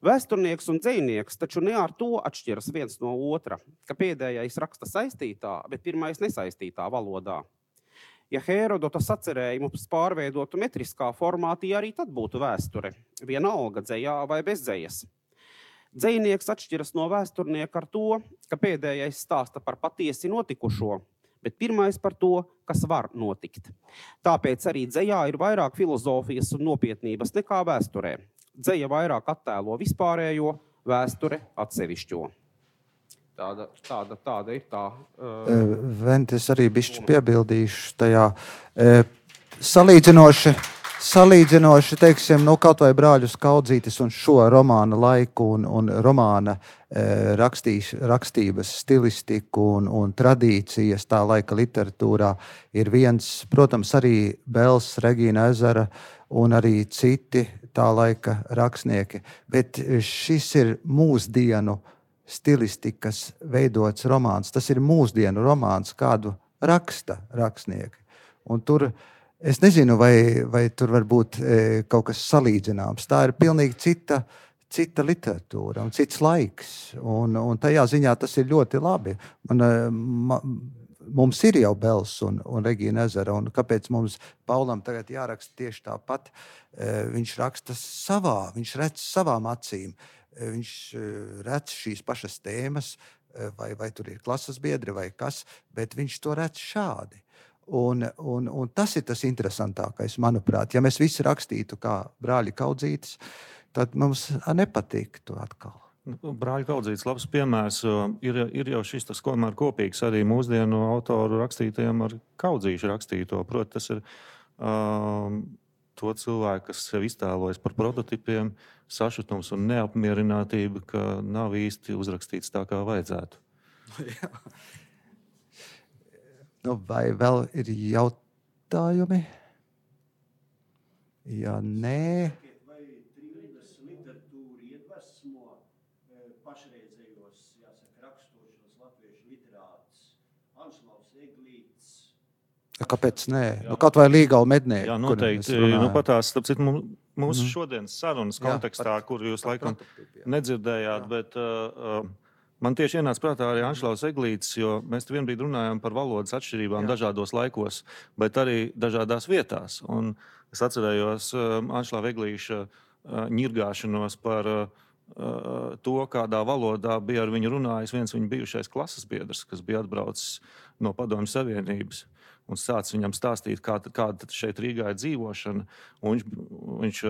Vēsturnieks un dzejnieks taču ne ar to atšķiras viens no otra, ka pēdējais raksta saistītā, bet pirmais nesaistītā valodā. Ja Herodota sacerējumus pārveidotu metriskā formātī, arī tad būtu vēsture, vienalga dzejā vai bez dzejas. Dzejnieks atšķiras no vēsturnieka ar to, ka pēdējais stāsta par patiesi notikušo, bet pirmais par to, kas var notikt. Tāpēc arī dzejā ir vairāk filozofijas un nopietnības nekā vēsturē. Dzeja vairāk attēlo vispārējo, vēsture atsevišķo. Tāda, tāda, tāda ir tā. Uh, Vent, es arī bišķi piebildīšu tajā. Uh, salīdzinoši, salīdzinoši, teiksim, nu, kaut vai Brāļus Kaudzītes un šo romāna laiku un, un romāna uh, rakstīs, rakstības stilistiku un, un tradīcijas tā laika literatūrā ir viens, protams, arī Bels, Regīna Ezera un arī citi tā laika rakstnieki. Bet šis ir mūsdienu stilistikas veidots romāns. Tas ir mūsdienu romāns, kādu raksta rakstnieki. Un tur, es nezinu, vai, vai tur var būt e, kaut kas salīdzināms. Tā ir pilnīgi cita, cita literatūra un cits laiks. Un, un tajā ziņā tas ir ļoti labi. Man, ma, Mums ir jau Bels un, un Regīna Ezera, un kāpēc mums Paulam tagad jāraksta tieši tāpat? Viņš raksta savā, viņš redz savām acīm, viņš redz šīs pašas tēmas, vai, vai tur ir klases biedri vai kas, bet viņš to redz šādi. Un, un, un tas ir tas interesantākais, manuprāt. Ja mēs visi rakstītu kā Brāļi Kaudzītes, tad mums nepatiktu atkal. Brāļa Kaudzītes labs piemērs. Ir, ir jau šis tas komēr kopīgs arī mūsdienu autoru rakstītajiem ar Kaudzīšu rakstīto. Proti, tas ir um, to cilvēku, kas sev iztēlojas par prototipiem, sašutums un neapmierinātība, ka nav īsti uzrakstīts tā, kā vajadzētu. Jā. Nu, vai vēl ir jautājumi? Ja nē... Pašreizējos, jāsaka, rakstošos latviešu literātus, Anšlaus Eglīts. Kāpēc nē? Nu, kaut vai Līgala mednieki. Jā, noteikti. Nu, patās, tāpēc mūsu mm-hmm. šodienas sarunas kontekstā, jā, par, kur jūs laikam nedzirdējāt, jā. Bet uh, man tieši ienāca prātā arī Anšlaus Eglīts, jo mēs te vienbrīd runājam par valodas atšķirībām, jā, dažādos laikos, bet arī dažādās vietās. Un es atcerējos uh, Anšlava Eglīša uh, ņirgāšanos par uh, to, kādā valodā bija ar viņu runājis viens viņa bijušais klases biedrs, kas bija atbraucis no Padomju Savienības un sācis viņam stāstīt, kā, kāda šeit Rīgā ir dzīvošana. Un viņš, viņš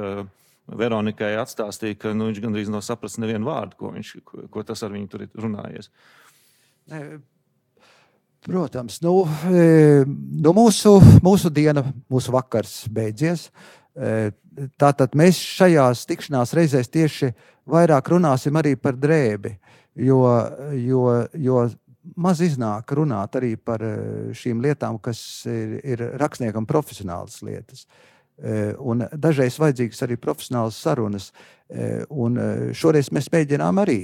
Veronikai atstāstīja, ka nu, viņš gandrīz nav sapratis nevienu vārdu, ko, viņš, ko, ko tas ar viņu tur ir runājies. Protams, nu, nu mūsu, mūsu diena, mūsu vakars beidzies. Tātad mēs šajās tikšanās reizēs tieši vairāk runāsim arī par drēbi, jo, jo, jo maz iznāk runāt arī par šīm lietām, kas ir, ir rakstniekam profesionālas lietas. Un dažreiz vajadzīgas arī profesionālas sarunas. Un šoreiz mēs mēģinām arī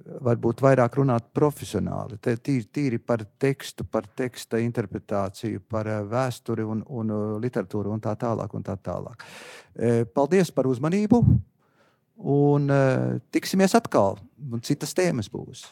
varbūt vairāk runāt profesionāli, tīri, tīri par tekstu, par teksta interpretāciju, par vēsturi un, un literatūru un tā tālāk un tā tālāk. Paldies par uzmanību un tiksimies atkal, un citas tēmas būs.